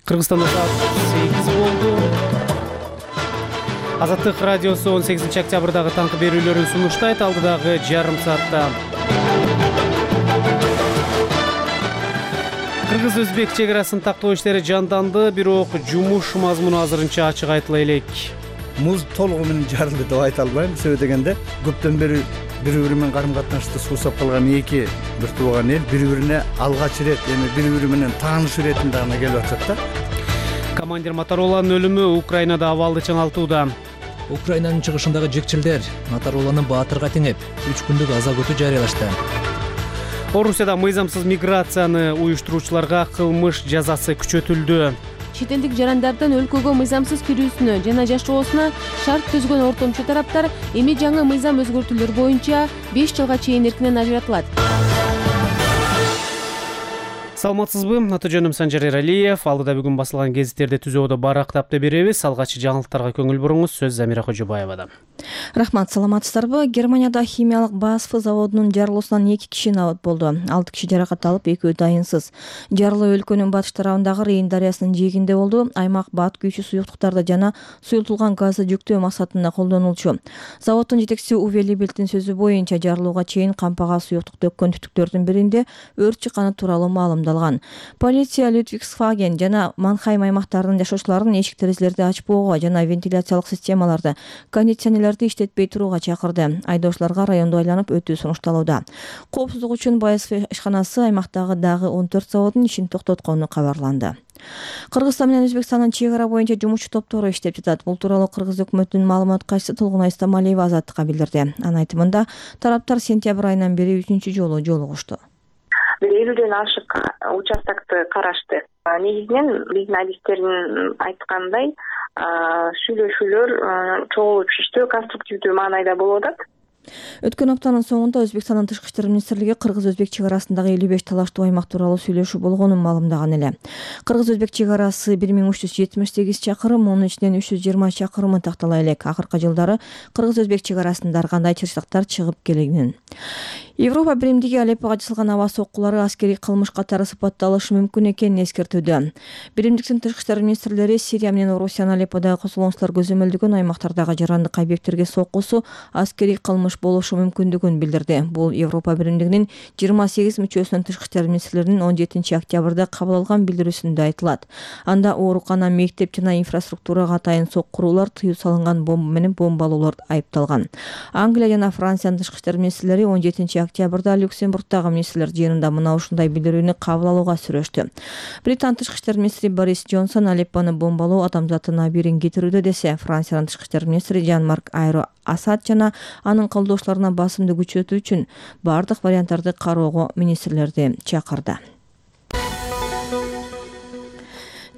Кыргызстанда саат 8 болду. Азаттык радиосу 18 октябрдагы таңкы берүүлөрүн сунуштайт. Алдыдагы жарым саатта Кыргыз-Өзбек чек арасын тактоо иштери жанданды, бирок жумуш мазмуну азырынча ачык айтыла элек. Муз толугу менен жарылды деп айта албайм. Себеби дегенде көптөн бери бири-бири менен карым-катнашты суусап калган эки бир тууган эл бири-бирине алгач ирет, эми бири-бири менен таанышуу иретинде гана келип атат да. Командир Мотороланын өлүмү Украинада абалды чыңалтууда. Украинанын чыгышындагы жекчилдер Мотороланы баатырга теңеп, 3 күндүк аза күтүү жарыялашты. Орусияда мыйзамсыз миграцияны уюштуруучуларга кылмыш жазасы күчөтүлдү. Чет элдик жарандардан өлкөгө мыйзамсыз кирүүсүнө жана жашоосуна шарт түзгөн ортомчу тараптар эми жаңы мыйзам өзгөртүүлөр боюнча 5 жылга чейин эркинен ажыратылат. Саламатсызбы? Аты жөнүм Санжар Эралиев. Алдыда бүгүн басылган гезиттерди түзөөдө барактап беребиз. Алгачкы жаңылыктарга көңүл буруңуз. Сөз Замира Кожобаевада. Рахмат, саламатсыздарбы? Германияда химиялык БАСФ заводунун жарылуусунан 2 киши набат болду. 6 киши жаракат алып, 2 дайынсыз. Жарылуу өлкөнүн батыш тарабындагы Рейн дарыясынын жээгинде болду. Аймак бат күйүүчү суюктуктарды жана суюлтулган газды жүктөө максатында колдонулчу. Заводдун жетекчиси Уве Либельдин сөзү боюнча жарылууга чейин кампага суюктук төккөн түтүктөрдүн биринде өрт чыкканы тууралуу маалымдалган. Полиция Людвигсхаген жана Манхайм аймактарынын жашоочуларын эшик-терезелерди ачпоого жана вентиляциялык системаларды, кондиционерлерди иштетпей турууга чакырды. Айдоочуларга районду айланып өтүү сунушталууда. Коопсуздук үчүн БАСФ ишканасы аймактагы дагы 14 заводдун ишин токтоткону кабарланды. Кыргызстан менен Өзбекстандын чек ара боюнча жумушчу топтору иштеп жатат. Бул тууралуу Кыргыз өкмөтүнүн маалымат катчысы Толгунай Стамалиева Азаттыкка билдирди. Анын айтымында, тараптар сентябрь айынан бери 3-чү жолу жолугушту. 50ден ашык участокты карашты. Негизинен биздин адистердин айткандай, сүйлөшүүлөр чогуу түштү, конструктивдүү маанайда болуп атат. Өткөн аптанын соңунда Өзбекстандын тышкы иштер министрлиги Кыргыз-Өзбек чек арасындагы 55 талаштуу аймак тууралуу сүйлөшүү болгонун маалымдаган эле. Кыргыз-Өзбек чек арасы 1378 чакырым, мунун ичинен 320 чакырымы тактала элек. Акыркы жылдары Кыргыз-Өзбек чек арасында ар кандай чырчыктар чыгып келген. Европа биримдиги Алеппого жасалган аба соккулары аскерий кылмыш катары сыпатталышы мүмкүн экенин эскертүүдө. Биримдиктин тышкы иштер министрлери Сирия менен Орусиянын Алепподагы косулончулар көзөмөлдөгөн аймактардагы жарандык объекттерге соккусу аскерий кылмыш болушу мүмкүндүгүн билдирди. Бул Европа биримдигинин 28 мүчөсүнүн тышкы иштер министрлеринин 17 октябрда кабыл алган билдирүүсүндө айтылат. Анда оорукана, мектеп жана инфраструктурага атайын соккуруулар, тыюу салынган бомба менен бомбалоолор айыпталган. Англия жана Франциянын тышкы иштер министрлери 17 октябрда Люксембургдагы министрлер жыйынында мына ушундай билдирүүнү кабыл алууга сүрөштү. Британ тышкы иштер министри Борис Джонсон Алеппону бомбалоо адамзаттын абийирин кетирүүдө десе, Франциянын тышкы иштер министри Жан-Марк Айро Асад жана анын колдоочуларына басымды күчөтүү үчүн бардык варианттарды кароого министрлерди чакырды.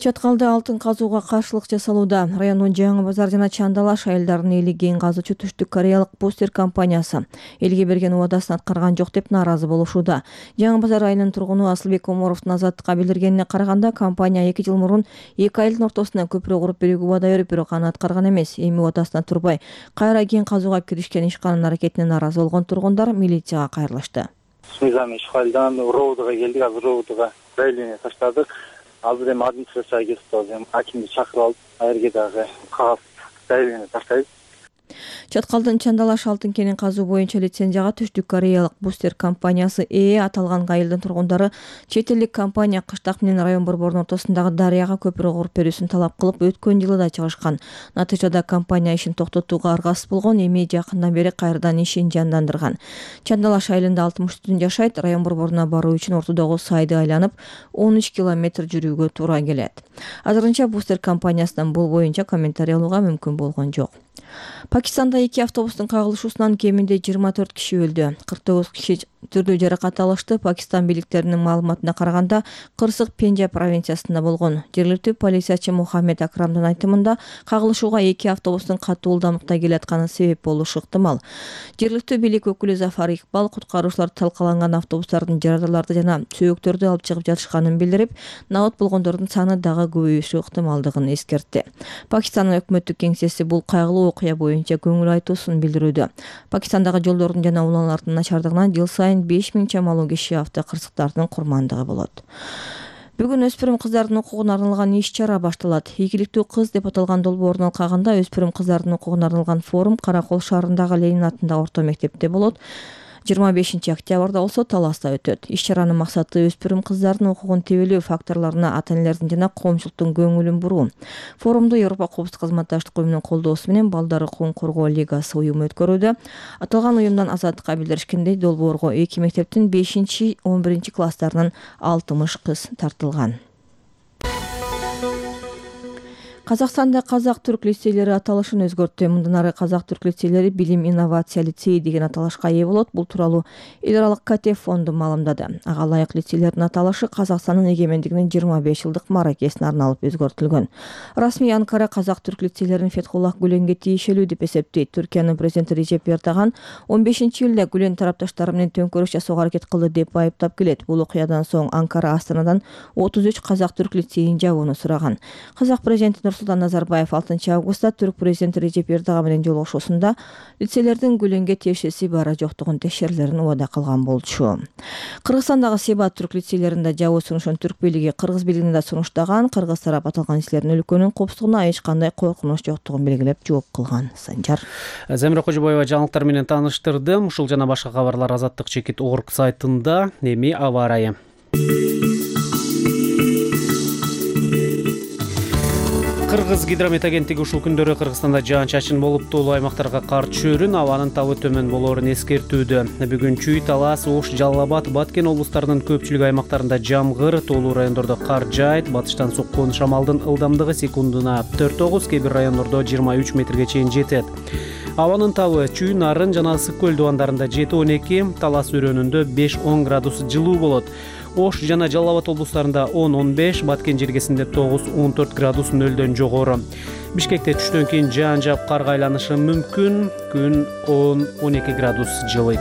Чаткалда алтын казууга каршылык жасалууда. Райондун Жаңы Базар жана Чандалаш айылдарынын эли кен казуучу Түштүк Кореялык Бустер компаниясы элге берген убадасын аткарган жок деп нааразы болушууда. Жаңы Базар айылынын тургуну Асылбек Оморовдун Азаттыкка билдиргенине караганда, компания 2 жыл мурун эки айылдын ортосуна көпүрө куруп берүүгө убада берип, бирок аны аткарган эмес. Эми убадасына турбай кайра кен казууга киришкен ишканын аракетине нааразы болгон тургундар милицияга кайрылышты. Мыйзам ишкалдан Роудага келдик, азыр Роудага заявление таштадык. Азыр эми администрацияга кетип атабыз. Акимди чакырып алып, айерге дагы кагаз заявление таштайбыз. Чаткалдын Чандалаш алтын кенин казуу боюнча лицензияга Түштүк Кореялык Бустер компаниясы аталган айылдын тургундары чет элдик компания Кыштак менен район борборунун ортосундагы дарыяга көпүрө куруп берүүсүн талап кылып, өткөн жылы да чыгышкан. Натыйжада компания ишин токтотууга аргасыз болгон, эми жакындан бери кайрадан ишин жандандырган. Чандалаш айылында 60 түтүн жашайт. Район борборуна баруу үчүн ортодогу сайды айланып 13 километр жүрүүгө туура келет. Азырынча Бустер компаниясынан бул боюнча комментарий алууга мүмкүн болгон жок. Пакистанда 2 автобустун кагылышуусунан кеминде 24 киши өлдү. 49 киши түрдүү жаракат алышты. Пакистан бийликтеринин маалыматына караганда, кырсык Пенджаб провинциясында болгон. Жергиликтүү полициячы Мухаммед Акрамдын айтымында, кагылышууга 2 автобустун катуу ылдамдыкта келатканы себеп болушу ыктымал. Жергиликтүү бийлик өкүлү Зафар Икбал куткаруучулар талкаланган автобустардын жарадарларды жана сөөктөрдү алып чыгып жатышканын билдирип, набат болгондордун саны дагы көбөйүшү ыктымалдыгын эскертти. Пакистандын өкмөттүк кеңсеси бул кайгылуу окуя боюнча көңүл айтуусун билдирүүдө. Пакистандагы жолдордун жана уланалардын начардыгынан жыл сайын 5000 чамалуу киши автокырсыктардын курмандыгы болот. Бүгүн өспүрүм кыздардын укугуна арналган иш-чара башталат. Ийгиликтүү кыз деп аталган долбоордун алкагында өспүрүм кыздардын укугуна арналган форум Кара Кол шаарындагы Ленин атындагы орто мектепте болот. 25 октябрда болсо Таласта өтөт. Иш-чаранын максаты өспүрүм кыздардын укугун тебелөө факторлоруна ата-энелердин жана коомчулуктун көңүлүн буруу. Форумду Европа Коопсуздук кызматташтык уюмунун колдоосу менен Балдар укугун коргоо лигасы уюму өткөрүүдө. Аталган уюмдан Азаттыкка билдиришкендей, долбоорго 2 мектептин 5-11 класстарынын 60 кыз тартылган. Казакстанда казак-түрк лицейлери аталышын өзгөрттү. Мындан ары казак-түрк лицейлери билим инновация лицейи деген аталышка ээ болот. Бул тууралуу эл аралык КТ фонду маалымдады. Ага ылайык лицейлердин аталышы Казакстандын эгемендигинин 25 жылдык мааракесине арналып өзгөртүлгөн. Расмий Анкара казак-түрк лицейлерин Фетхуллах Гүленге тиешелүү деп эсептейт. Түркиянын президенти Режеп Эрдоган 15-июлда Гүлен тарапташтары менен төңкөрүш жасоого аракет кылды деп айыптап келет. Бул окуядан соң Анкара Астанадан 33 казак-түрк лицейин жабууну сураган. Казак президенти Нурсултан Назарбаев 6 августта түрк президенти Режеп Эрдоган менен жолугушуусунда лицейлердин Гүленге тиешеси бара жоктугун текшерилерин убада кылган болчу. Кыргызстандагы Себат түрк лицейлеринде жабуу сунушун түрк бийлиги кыргыз бийлигине да сунуштаган. Кыргыз тарап аталган лицейлердин өлкөнүн коопсуздугуна эч кандай коркунуч жоктугун белгилеп жооп кылган. Санжар Замира Кожобоева жаңылыктар менен тааныштырдым. Ушул жана башка кабарлар Азаттык.org сайтында. Эми аба ырайы. Кыргыз гидромет агенттиги ушул күндөрү Кыргызстанда жаан-чачын болуп тоолуу аймактарга кар түшөөрүн, абанын табы төмөн болоорун эскертүүдө. Бүгүн Чүй, Талас, Ош, Жалал Абад, Баткен облустарынын көпчүлүк аймактарында жамгыр, тоолуу райондордо кар жаайт. Батыштан соккон шамалдын ылдамдыгы секундуна 4-9, кээ бир райондордо 23 метрге чейин жетет. Абанын табы Чүй, Нарын жана Ысык көл дубандарында 7-12, Талас өрөөнүндө 5-10 градус жылуу болот. Ош жана Жалал Абад облустарында 10-15, Баткен жергесинде 9-14 градус нөлдөн жогору. Бишкекте түштөн кийин жаан жаап карга айланышы мүмкүн. Күн 10-12 градус жылыйт.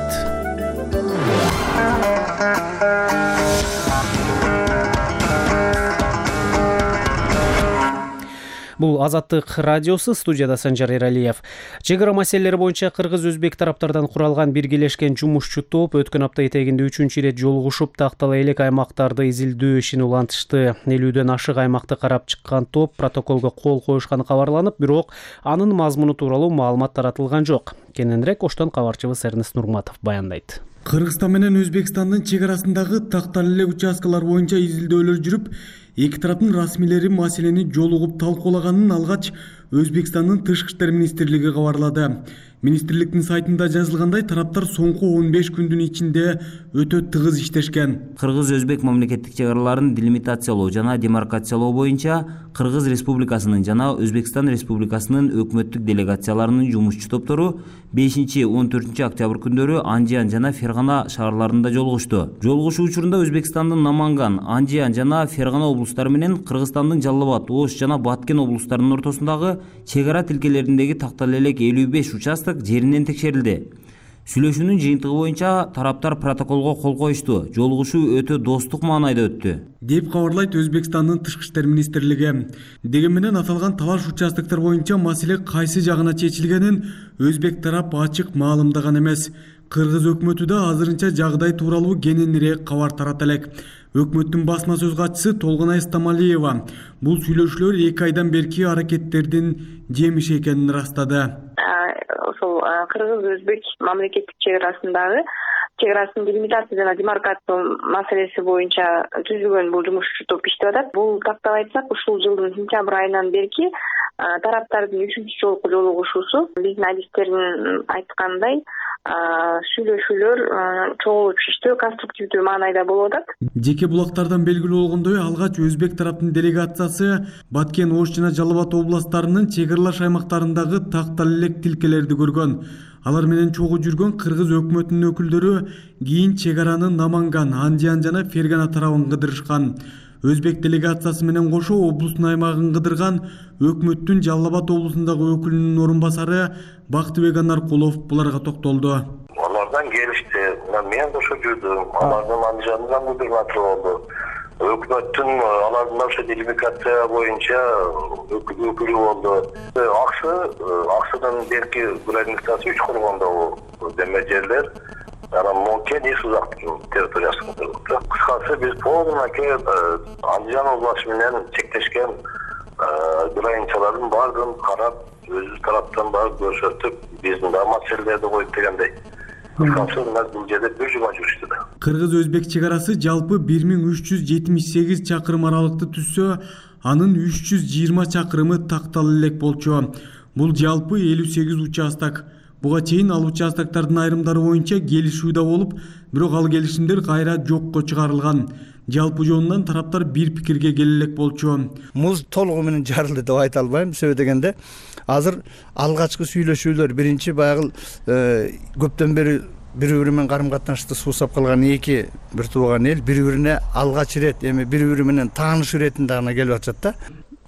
Бул Азаттык радиосу, студияда Санжар Эралиев. Чек ара маселелери боюнча кыргыз-өзбек тараптардан куралган биргелешкен жумушчу топ өткөн апта этегинде 3-чү ирет жолугушуп, тактала элек аймактарды изилдөө ишин улантышты. 50дөн ашык аймакты карап чыккан топ протоколго кол коюшканы кабарланып, бирок анын мазмуну тууралуу маалымат таратылган жок. Кененирээк Оштон кабарчыбыз Эрнест Нурматов баяндайт. Кыргызстан менен Өзбекстандын чек арасындагы тактала элек участкалар боюнча изилдөөлөр жүрүп, эки тараптын расмийлери маселени жолугуп талкуулаганын алгач Өзбекстандын Тышкы иштер министрлиги кабарлады. Министрликтин сайтында жазылгандай, тараптар соңку 15 күндүн ичинде өтө тыгыз иштешкен. Кыргыз-өзбек мамлекеттик чек араларын делимитациялоо жана демаркациялоо боюнча Кыргыз Республикасынын жана Өзбекстан Республикасынын өкмөттүк делегацияларынын жумушчу топтору 5-14 октябрь күндөрү Анжиан жана Фергана шаарларында жолугушту. Жолугушуу учурунда Өзбекстандын Наманган, Анжиан жана Фергана облустары менен Кыргызстандын Жалал Абад, Ош жана Баткен облустарынын ортосундагы чек ара тилкелериндеги тактала элек 55 участок жеринен текшерилди. Сүйлөшүүнүн жыйынтыгы боюнча тараптар протоколго кол коюшту. Жолугушуу өтө достук маанайда өттү, деп кабарлайт Өзбекстандын Тышкы иштер министрлиги. Дегени менен аталган талаш участоктор боюнча маселе кайсы жагына чечилгенин өзбек тарап ачык маалымдаган эмес. Кыргыз өкмөтү да азырынча жагдай тууралуу кененирээк кабар тарата элек. Өкмөттүн басма сөз катчысы Толгонай Стамалиева бул сүйлөшүүлөр 2 айдан берки аракеттердин жемиши экенин ырастады. Ошол кыргыз-өзбек мамлекеттик чек арасындагы чек арасын делимитация жана демаркация маселеси боюнча түзүлгөн бул жумушчу топ иштеп атат. Бул тактап айтсак, ушул жылдын сентябрь айынан берки тараптардын 3-чү жолку жолугушуусу биздин адистердин айткандай сүйлөшүүлөр чогулуп иштөө конструктивдүү маанайда болуп атат. Жеке булактардан белгилүү болгондой, алгач өзбек тараптын делегациясы Баткен, Ош жана Жалал Абад областарынын чек аралаш аймактарындагы тактала элек тилкелерди көргөн. Алар менен чогуу жүргөн кыргыз өкмөтүнүн өкүлдөрү кийин чек араны Наманган, Анжиан жана Фергана тарабын кыдырышкан. Өзбек делегациясы менен кошо облустун аймагын кыдырган өкмөттүн Жалал Абад облусундагы өкүлүнүн орун басары Бактыбек Анаркулов буларга токтолду. Алардан келишти, мен кошо жүрдүм, алардын Анжиандан кыдырганы болду. Өкмөттүн алардын ошо делимитация боюнча өкүлү болду. Аксыдан берки границасы 3 коргондогу деме жерлер анан Монкен эс узактын территориясында турат. Кыскасы биз полномочия Андижан областы менен чектешкен границалардын баардыгын карап, өзүбүз тараптан барып көрсөтүп, биздин да маселелерди коюп дегендей. Кыскасы бул жерде бир жума жүрүштү да. Кыргыз-өзбек чек арасы жалпы 1378 чакырым аралыкты түзсө, анын 320 чакырымы такталып элек болчу. Бул жалпы 58 участок. Буга чейин ал участоктардын айрымдары боюнча келишүү да болуп, бирок ал келишимдер кайра жокко чыгарылган. Жалпы жонунан тараптар бир пикирге келе элек болчу. Муз толугу менен жарылды деп айта албайм. Себеби дегенде азыр алгачкы сүйлөшүүлөр биринчи баягы көптөн бери бири-бири менен карым-катнашты суусап калган эки бир тууган эл бири-бирине алгач ирет эми бири-бири менен тааныш иретинде гана келип атышат да.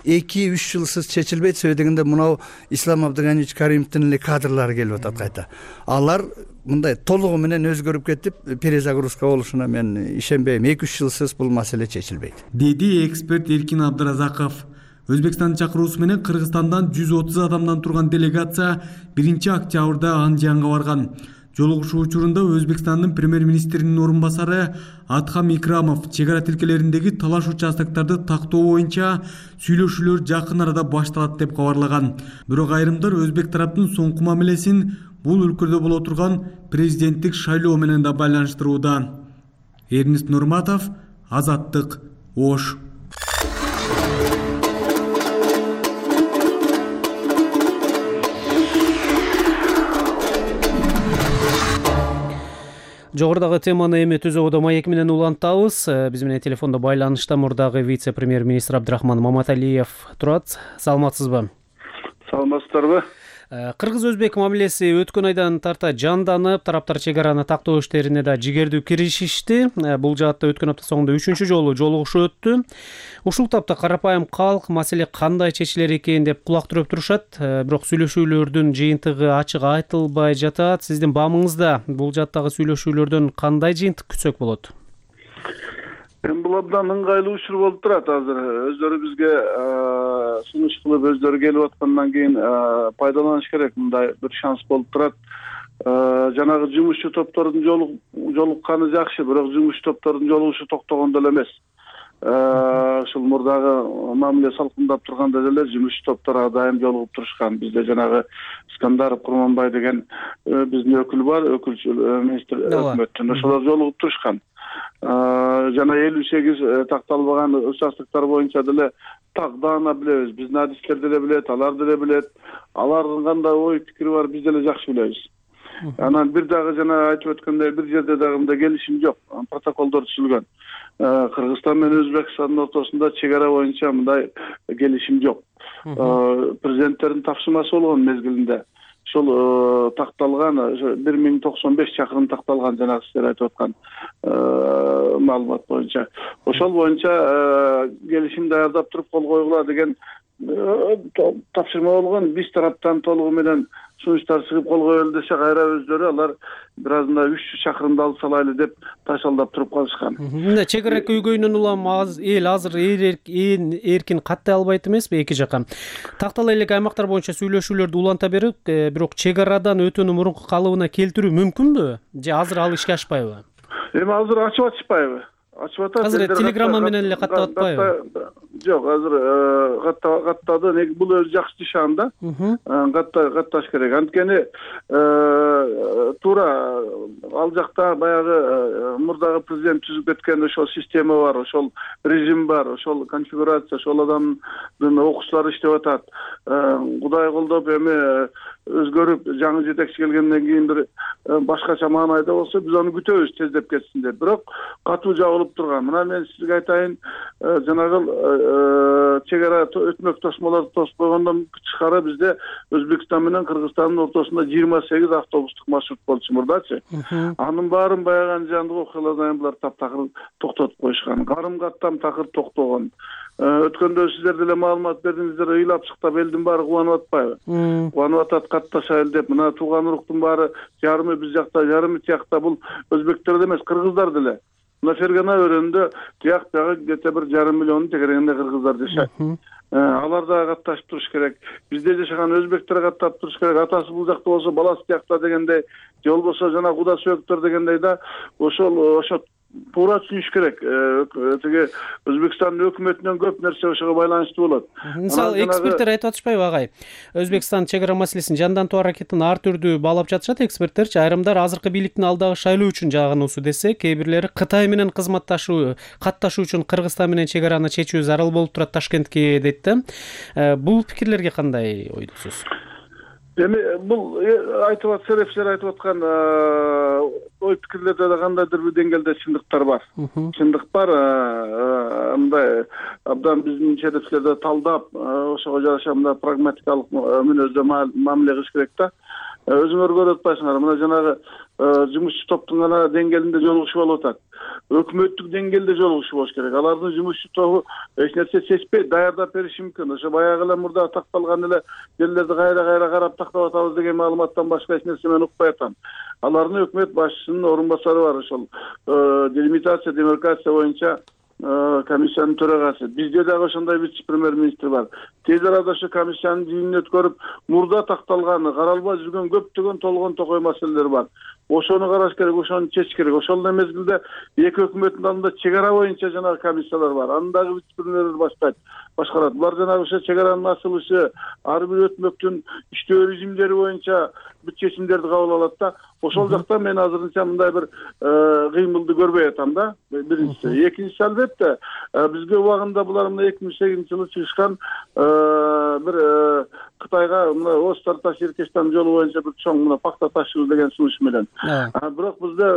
2-3 жылсыз чечилбейт. Себеби дегенде мынау Ислам Абдыганиевич Каримовдун эле кадрлары келип атат кайта. Алар мындай толугу менен өзгөрүп кетип, перезагрузка болушуна мен ишенбейм. 2-3 жылсыз бул маселе чечилбейт, деди эксперт Эркин Абдыразаков. Өзбекстандын чакыруусу менен Кыргызстандан 130 адамдан турган делегация 1-октябрда Андижанга барган. Жолугушуу учурунда Өзбекстандын премьер-министринин орун басары Атхам Икрамов чек ара тилкелериндеги талаш участоктарды тактоо боюнча сүйлөшүүлөр жакын арада башталат деп кабарлаган. Бирок айрымдар өзбек тараптын соңку мамилесин бул өлкөдө боло турган президенттик шайлоо менен да байланыштырууда. Эрнист Нурматов, Азаттык, Ош. Жогорудагы теманы эми Түзөбүдө маек менен улантабыз. Биз менен телефондо байланышта мурдагы вице-премьер-министр Абдрахман Маматалиев турат. Саламатсызбы? Саламатсыздарбы? Кыргыз-өзбек мамилеси өткөн айдан тарта жанданып, тараптар чек араны тактоо иштерине да жигердүү киришишти. Бул жаатта өткөн апта соңунда 3-чү жолу жолугушуу өттү. Ушул тапта карапайым калк маселе кандай чечилер экен деп кулак түрөп турушат. Бирок сүйлөшүүлөрдүн жыйынтыгы ачык айтылбай жатат. Сиздин баамыңызда бул жааттагы сүйлөшүүлөрдөн кандай жыйынтык күтсөк болот? Бул абдан ыңгайлуу учур болуп турат азыр. Өздөрү бизге сунуш кылып, өздөрү келип аткандан кийин пайдаланыш керек. Мындай бир шанс болуп турат. Жанагы жумушчу топтордун жолукканы жакшы, бирок жумушчу топтордун жолугушу токтогон деле эмес. Ушул мурдагы мамиле салкындап турганда деле жумушчу топтор ар дайым жолугуп турушкан. Бизде жанагы Искандаров Курманбай деген биздин өкүл бар, өкүлчү министр өкмөттүн. Ошолор жолугуп турушкан. Жана 58 такталбаган участоктор боюнча деле даана билебиз. Биздин адистер деле билет, алар деле билет. Алардын кандай ой пикири бар биз деле жакшы билебиз. Анан бир дагы жана айтып өткөндөй бир жерде дагы мындай келишим жок. Протоколдор түзүлгөн. Кыргызстан менен Өзбекстандын ортосунда чек ара боюнча мындай келишим жок. Президенттердин тапшырмасы болгон мезгилинде ошол такталган 1095 чакырым такталган жанагы сиздер айтып аткан маалымат боюнча. Ошол боюнча келишим даярдап туруп кол койгула деген тапшырма болгон. Биз тараптан толугу менен сунуштар чыгып кол коелу десе кайра өздөрү алар бир азында 300 чакырымды алып салайлы деп ташалдап туруп калышкан. Чек ара көйгөйүнөн улам эл азыр эркин каттай албайт эмеспи эки жака. Тактала элек аймактар боюнча сүйлөшүүлөрдү уланта берип, бирок чек арадан өтүүнү мурунку калыбына келтирүү мүмкүнбү? Же азыр ал ишке ашпайбы? Эми азыр ачып атышпайбы? Ачып атат. Азыр телеграмма менен эле каттап атпайбы? Жок, азыр каттады. Бул өзү жакшы нишан да. Катташ керек. Анткени туура ал жакта баягы мурдагы президент түзүп кеткен ошол система бар, ошол режим бар, ошол конфигурация, ошол адамдын окуучулары иштеп атат. Кудай колдоп эми өзгөрүп жаңы жетекчи келгенден кийин бир башкача маанайда болсо биз аны күтөбүз тездеп кетсин деп. Бирок катуу жабылып турган. Мына мен сизге айтайын, жанагы чек ара өтмөк тосмолорду тосуп койгондон тышкары бизде Өзбекстан менен Кыргызстандын ортосунда 28 автобустук маршрут болчу мурдачы. Анын баарын баягы Андижандык окуялардан булар таптакыр токтотуп коюшкан. Карым-каттам такыр токтогон. Өткөндө сиздер деле маалымат бердиңиздер, ыйлап шыктап элдин баары кубанып атпайбы? Кубанып атат, катташайлы деп. Мына тууган уруктун баары жарымы биз жакта, жарымы тиякта. Бул өзбектер эле эмес, кыргыздар деле. мына Фергана өрөөнүндө тияк бягы где-то 1,5 миллион тегерегинде кыргыздар жашайт. Алар да катташып туруш керек. Бизде жашаган өзбектер каттап туруш керек. Атасы бул жакта болсо баласы тиякта дегендей, же болбосо жана куда сөөктөр дегендей да ошо туура түшүнүш керек. Тиги Өзбекстандын өкмөтүнөн көп нерсе ошого байланыштуу болот. Мисалы эксперттер айтып атышпайбы агай? Өзбекстан чек ара маселесин жандантуу аракетин ар түрдүү баалап жатышат эксперттерчи. Айрымдар азыркы бийликтин алдагы шайлоо үчүн жагынуусу десе, кээ бирлери Кытай менен катташуу үчүн Кыргызстан менен чек араны чечүү зарыл болуп турат Ташкентке дейт да. Бул пикирлерге кандай ойдосуз? Эми бул айтып серепчилер айтып аткан ой пикирлерде да кандайдыр бир деңгээлде чындыктар бар. Чындык бар. Мындай абдан биздин серепчилерди талдап, ошого жараша мындай прагматикалык мүнөздө мамиле кылыш керек да. Өзүңөр көрүп атпайсыңар, мына жанагы жумушчу топтун гана деңгээлинде жолугушуу болуп атат. Өкмөттүк деңгээлде жолугушуу болуш керек. Алардын жумушчу тобу эч нерсе чечпей даярдап бериши мүмкүн. Ошо баягы эле мурда такталган эле жерлерди кайра карап тактап атабыз деген маалыматтан башка эч нерсе мен укпай атам. Алардын өкмөт башчысынын орун басары бар, ошол делимитация, демаркация боюнча комиссиянын төрагасы. Бизде дагы ошондой вице-премьер-министр бар. Тез арада ошо комиссиянын жыйынын өткөрүп, мурда такталган, каралбай жүргөн көптөгөн толгон токой маселелер бар. Ошону караш керек, ошону чечиш керек. Ошол эле мезгилде эки өкмөттүн алдында чек ара боюнча жанагы комиссиялар бар. Аны дагы вице-премьерлер башкарат. Булар жанагы ошо чек аранын ачылышы, ар бир өкмөттүн иштөө режимдери боюнча бүт чечимдерди кабыл алат да. Ошол жакта мен азырынча мындай бир кыймылды көрбөй атам да. Биринчиси. Экинчиси албетте бизге убагында булар мына 2008-жылы чыгышкан бир Кытайга мына Остарташ Иркештан жолу боюнча бир чоң мына пакта ташуу деген сунуш менен. Бирок бизде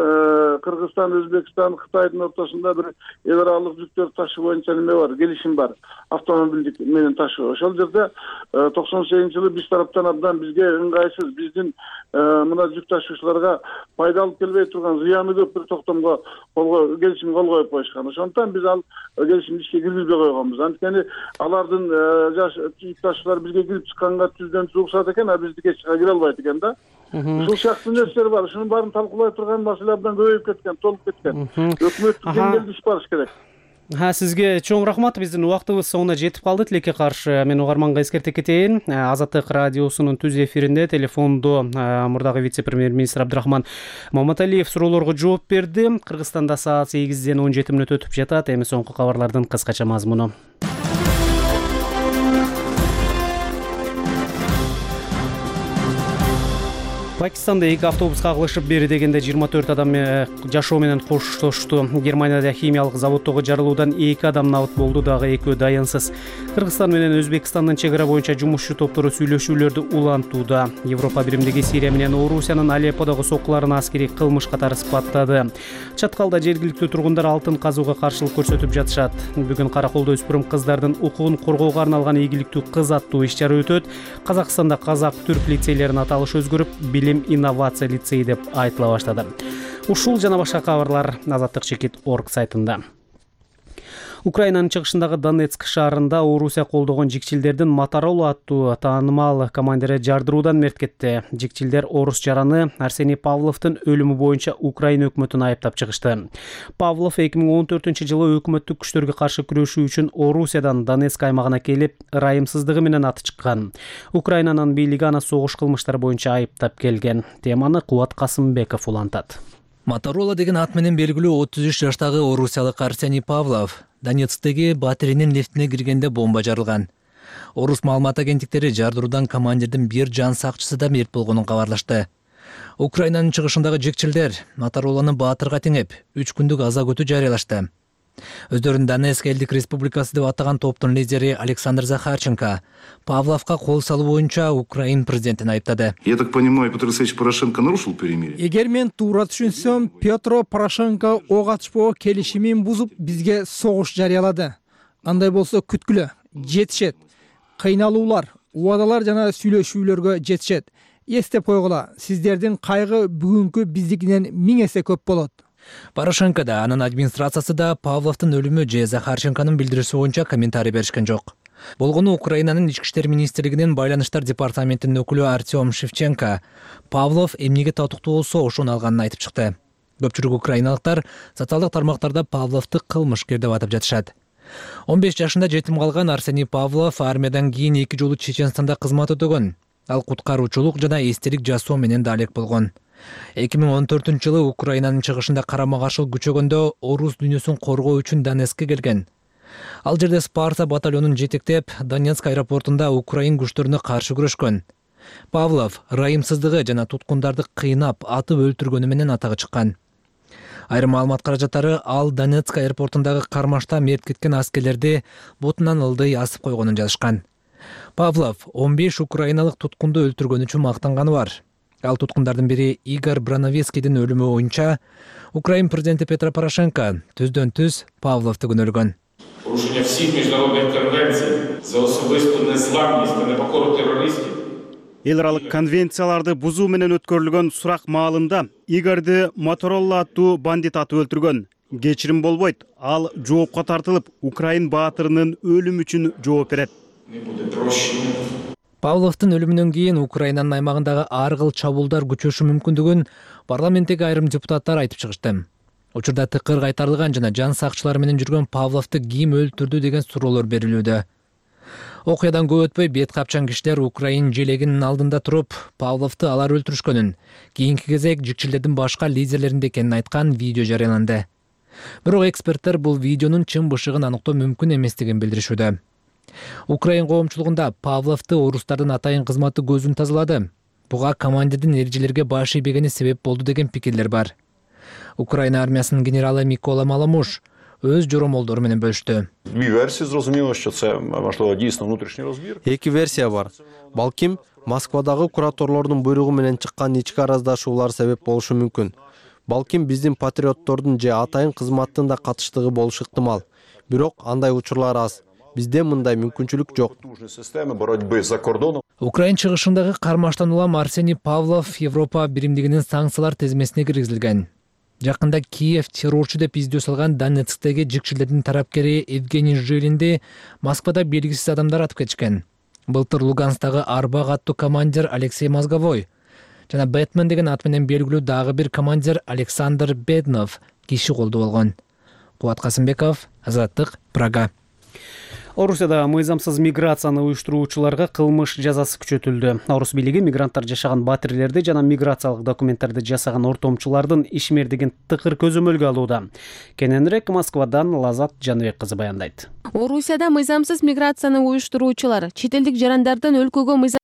Кыргызстан, Өзбекстан, Кытайдын ортосунда бир эл аралык жүктөр ташуу боюнча неме бар, келишим бар. Автомобилдик менен ташуу. Ошол жерде 98-жылы биз тараптан абдан бизге ыңгайсыз, биздин мына жүк ташуучуларга пайда алып келбей турган зыяны көп бир токтомго келишим кол коюп коюшкан. Ошондуктан биз ал келишимди ишке киргизбей койгонбуз. Анткени алардын жүк ташуучулар бизге кирип чыкканга түздөн уруксат экен, а биздики эч жака кире албайт экен да. Ушул сыяктуу нерселер бар. Ушунун баарын талкуулай турган маселе абдан көбөйүп кеткен, толуп кеткен. Өкмөттүк деңгээлде иш барыш керек. Сизге чоң рахмат. Биздин убактыбыз соңуна жетип калды. Тилекке каршы мен угарманга эскерте кетейин. Азаттык радиосунун түз эфиринде телефондо мурдагы вице-премьер-министр Абдрахман Маматалиев суроолорго жооп берди. Кыргызстанда саат 8-ден 17 мүнөт өтүп жатат. Эми соңку кабарлардын кыскача мазмуну. Пакистанда эки автобус кагылышып бери дегенде 24 адам жашоо менен коштошту. Германияда химиялык заводдогу жарылуудан 2 адам набыт болду, дагы экөө дайынсыз. Кыргызстан менен Өзбекстандын чек ара боюнча жумушчу топтору сүйлөшүүлөрдү улантууда. Европа биримдиги Сирия менен Орусиянын Алепподогу соккуларын аскерий кылмыш катары сыпаттады. Чаткалда жергиликтүү тургундар алтын казууга каршылык көрсөтүп жатышат. Бүгүн Караколдо өспүрүм кыздардын укугун коргоого арналган ийгиликтүү кыз аттуу иш-чара өтөт. Казакстанда казак-түрк лицейлеринин аталышы өзгөрүп, билим инновация лицеи деп айтыла баштады. Ушул жана башка кабарлар азаттык.org сайтында. Украинанын чыгышындагы Донецк шаарында Орусия колдогон жикчилдердин Мотороло аттуу таанымал командири жардыруудан мерт кетти. Жикчилдер орус жараны Арсений Павловдун өлүмү боюнча Украина өкмөтүн айыптап чыгышты. Павлов 2014-жылы өкмөттүк күчтөргө каршы күрөшүү үчүн Орусиядан Донецк аймагына келип, ырайымсыздыгы менен аты чыккан. Украинанын бийлиги аны согуш кылмыштары боюнча айыптап келген. Теманы Кубат Касымбеков улантат. Мотороло деген ат менен белгилүү 33 жаштагы орусиялык Арсений Павлов Донецктеги батиренин лифтине киргенде бомба жарылган. Орус маалымат агенттиктери жардыруудан командирдин бир жан сакчысы да мерт болгонун кабарлашты. Украинанын чыгышындагы жекчилдер Моторолону баатырга теңеп 3 күндүк аза күтүү жарыялашты. Өздөрүн Донецк элдик республикасы деп атаган топтун лидери Александр Захарченко Павловка кол салуу боюнча Украин президентин айыптады. Я так понимаю, Петр Алексеевич Порошенко нарушил перемирие? Эгер мен туура түшүнсөм, Петро Порошенко ок атышпоо келишимин бузуп, бизге согуш жарыялады. Андай болсо күткүлө, жетишет. Кыйналуулар, убадалар жана сүйлөшүүлөргө жетишет. Эстеп койгула, сиздердин кайгы бүгүнкү биздикинен 1000 эсе көп болот. Порошенко да, анын администрациясы да Павловдун өлүмү же Захарченконун билдирүүсү боюнча комментарий беришкен жок. Болгону Украинанын ички иштер министрлигинин байланыштар департаментинин өкүлү Артем Шевченко Павлов эмнеге татыктуу болсо ошону алганын айтып чыкты. Көпчүлүк украиналыктар социалдык тармактарда Павловду кылмышкер деп атап жатышат. 15 жашында жетим калган Арсений Павлов армиядан кийин 2 жолу Чеченстанда кызмат өтөгөн. Ал куткаруучулук жана эстелик жасоо менен да алек болгон. 2014-жылы Украинанын чыгышында карама-каршылык күчөгөндө орус дүйнөсүн коргоо үчүн Донецкке келген. Ал жерде Спарта батальонун жетектеп, Донецк аэропортунда Украин күчтөрүнө каршы күрөшкөн. Павлов ырайымсыздыгы жана туткундарды кыйнап, атып өлтүргөнү менен атагы чыккан. Айрым маалымат каражаттары ал Донецк аэропортундагы кармашта мерт кеткен аскерлерди бутунан ылдый асып койгонун жазышкан. Павлов 15 украиналык туткунду өлтүргөн үчүн мактанганы бар. Ал туткундардын бири Игорь Брановецкийдин өлүмү боюнча Украин президенти Петро Порошенко түздөн-түз Павловду күнөөлөгөн. Порушення всіх міжнародних конвенцій за особисту незламність та непокору террористів. Эл аралык конвенцияларды бузуу менен өткөрүлгөн сурак маалында Игорьди Моторолла аттуу бандит атып өлтүргөн. Кечирим болбойт. Ал жоопко тартылып, Украин баатырынын өлүмү үчүн жооп берет. Павловдун өлүмүнөн кийин Украинанын аймагындагы ар кыл чабуулдар күчөшү мүмкүндүгүн парламенттеги айрым депутаттар айтып чыгышты. Учурда тыкыр кайтарылган жана жан сакчылары менен жүргөн Павловду ким өлтүрдү деген суроолор берилүүдө. Окуядан көп өтпөй бет капчан кишилер Украин желегинин алдында туруп, Павловду алар өлтүрүшкөнүн, кийинки кезек жикчилердин башка лидерлеринде экенин айткан видео жарыяланды. Бирок эксперттер бул видеонун чын бышыгын аныктоо мүмкүн эместигин билдиришүүдө. Украин коомчулугунда Павловду орустардын атайын кызматы көзүн тазалады. Буга командирдин эрежелерге баш ийбегени себеп болду деген пикирлер бар. Украина армиясынын генералы Микола Маламуш өз жоромолдору менен бөлүштү. Эки версия бар. Балким Москвадагы кураторлордун буйругу менен чыккан ички араздашуулар себеп болушу мүмкүн. Балким биздин патриоттордун же атайын кызматтын да катыштыгы болушу ыктымал. Бирок андай учурлар аз. Бизде мындай мүмкүнчүлүк жок. Украин чыгышындагы кармаштан улам Арсений Павлов Европа биримдигинин санкциялар тизмесине киргизилген. Жакында Киев террорчу деп издөө салган Донецктеги жикчилердин тарапкери Евгений Жилинди Москвада белгисиз адамдар атып кетишкен. Былтыр Луганстагы Арбак аттуу командир Алексей Мозговой жана Бэтмен деген ат менен белгилүү дагы бир командир Александр Беднов киши колдо болгон. Кубат Касымбеков, Азаттык, Прага. Орусияда мыйзамсыз миграцияны уюштуруучуларга кылмыш жазасы күчөтүлдү. Орус бийлиги мигранттар жашаган батирлерди жана миграциялык документтерди жасаган ортомчулардын ишмердигин тыкыр көзөмөлгө алууда. Кененирээк Москвадан Лазат Жаныбек кызы баяндайт. Орусияда мыйзамсыз миграцияны уюштуруучулар чет элдик жарандардын өлкөгө мыйзамсыз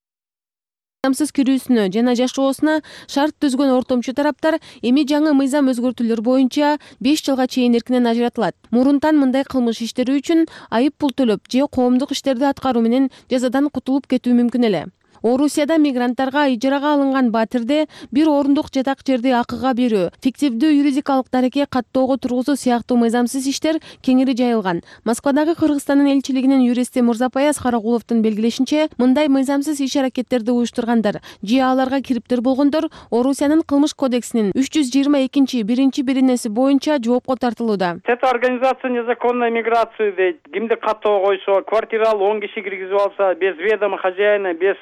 кирүүсүнө жана жашоосуна шарт түзгөн ортомчу тараптар эми жаңы мыйзам өзгөртүүлөр боюнча 5 жылга чейин эркинен ажыратылат. Мурунтан мындай кылмыш иштери үчүн айып пул төлөп же коомдук иштерди аткаруу менен жазадан кутулуп кетүү мүмкүн эле. Орусияда мигранттарга ижарага алынган батирде бир орундук жатак жерди акыга берүү, фиктивдүү юридикалык дареке каттоого тургузуу сыяктуу мыйзамсыз иштер кеңири жайылган. Москвадагы Кыргызстандын элчилигинин юристи Мурзапаяз Карагуловдун белгилешинче, мындай мыйзамсыз иш-аракеттерди уюштургандар же аларга кириптир болгондор Орусиянын кылмыш кодексинин 322 биринеси боюнча жоопко тартылууда. Это организация незаконной миграции дейт. Кимди каттоого койсо, квартиралуу 10 киши киргизип алса, без ведома хозяина, без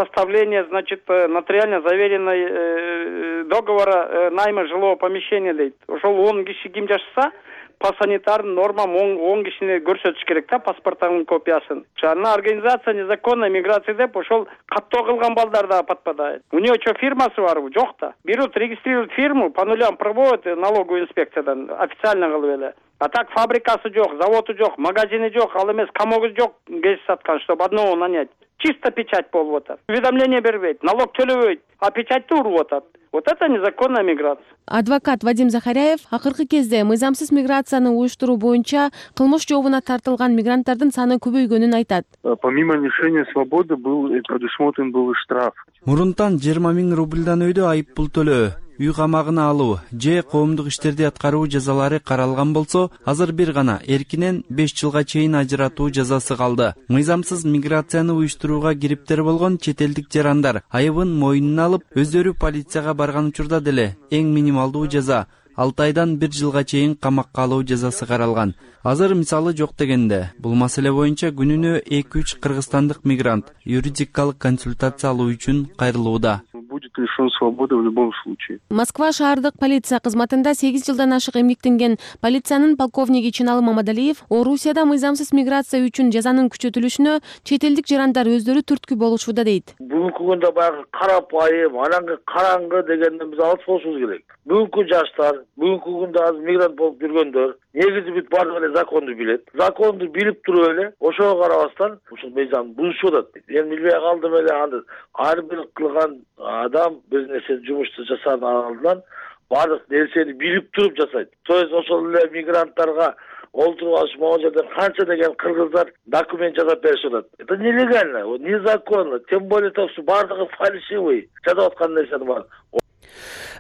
составления, значит, нотариально заверенной договора найма жилого помещения дейт. Ошол 10 киши ким жашаса, по санитарным нормам 10 кишини көрсөтүш керек да, паспорттун копиясын. Ана организация незаконной миграции деп ошол каттоо кылган балдар да подпадает. У нее что, фирмасы барбы? Жок да. Берут, регистрируют фирму, по нулям проводят налоговую инспекциядан, официально кылып эле. А так фабрикасы жок, заводу жок, магазини жок, ал эмес комогу жок, кез саткан, чтобы одного нанять. Чисто печать болуп атат. Уведомление бербейт, налог төлөбөйт, а печатьты уруп атат. Вот это незаконная миграция. Адвокат Вадим Захаряев акыркы кезде мыйзамсыз миграцияны уюштуруу боюнча кылмыш жообуна тартылган мигранттардын саны көбөйгөнүн айтат. Помимо лишения свободы предусмотрен был штраф. Мурунтан 20 000 рубльдан өйдө айып пул төлөө, үй камагына алуу же коомдук иштерди аткаруу жазалары каралган болсо, азыр бир гана эркинен 5 жылга чейин ажыратуу жазасы калды. Мыйзамсыз миграцияны уюштурууга кириптер болгон чет элдик жарандар айыбын мойнуна алып, өздөрү полицияга барган учурда деле эң минималдуу жаза 6 айдан 1 жылга чейин камакка алуу жазасы каралган. Азыр мисалы жок дегенде, бул маселе боюнча күнүнө 2-3 кыргызстандык мигрант юридикалык консультация алуу үчүн кайрылууда. Будет лишен свободы в любом случае. Москва шаардык полиция кызматында 8 жылдан ашык эмгектенген полициянын полковниги Чыналы Мамадалиев Орусияда мыйзамсыз миграция үчүн жазанын күчөтүлүшүнө чет элдик жарандар өздөрү түрткү болушууда дейт. Бүгүнкү күндө баягы карапайым, анан караңгы дегенден биз алыс болушубуз керек. Бүгүнкү жаштар, бүгүнкү күндө азыр мигрант болуп жүргөндөр негизи бүт баардыгы эле законду билет. Законду билип туруп эле ошого карабастан ушул мыйзамды бузушуп атат. Эми билбей калдым эле аны ар бир кылган адам бир нерсе жумушту жасаганын алдынан баардык нерсени билип туруп жасайт. То есть ошол эле мигранттарга олтуруп алыш могул жерден канча деген кыргыздар документ жасап беришип атат. Это нелегально, незаконно, тем более баардыгы фальшивый жасап аткан нерсенин баары.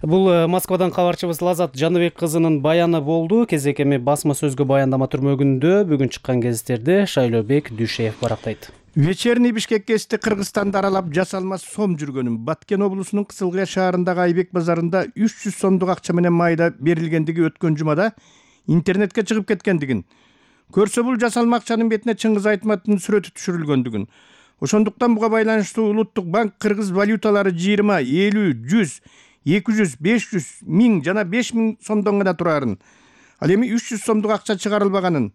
Бул Москвадан кабарчыбыз Лазат Жаныбек кызынын баяны болду. Кезек эми басма сөзгө баяндама түрмөгүндө бүгүн чыккан гезиттерди Шайлообек Дүйшеев барактайт. Вечерний Бишкек кести Кыргызстанды аралап жасалма сом жүргөнүн Баткен облусунун Кызылкая шаарындагы Айбек базарында 300 сомдук акча менен майда берилгендиги өткөн жумада интернетке чыгып кеткендигин, көрсө бул жасалма акчанын бетине Чыңгыз Айтматовдун сүрөтү түшүрүлгөндүгүн, ошондуктан буга байланыштуу Улуттук банк кыргыз валюталары 20, 50, 100, 200, 500, 1000 жана 5000 сомдон гана турарын, ал эми 300 сомдук акча чыгарылбаганын,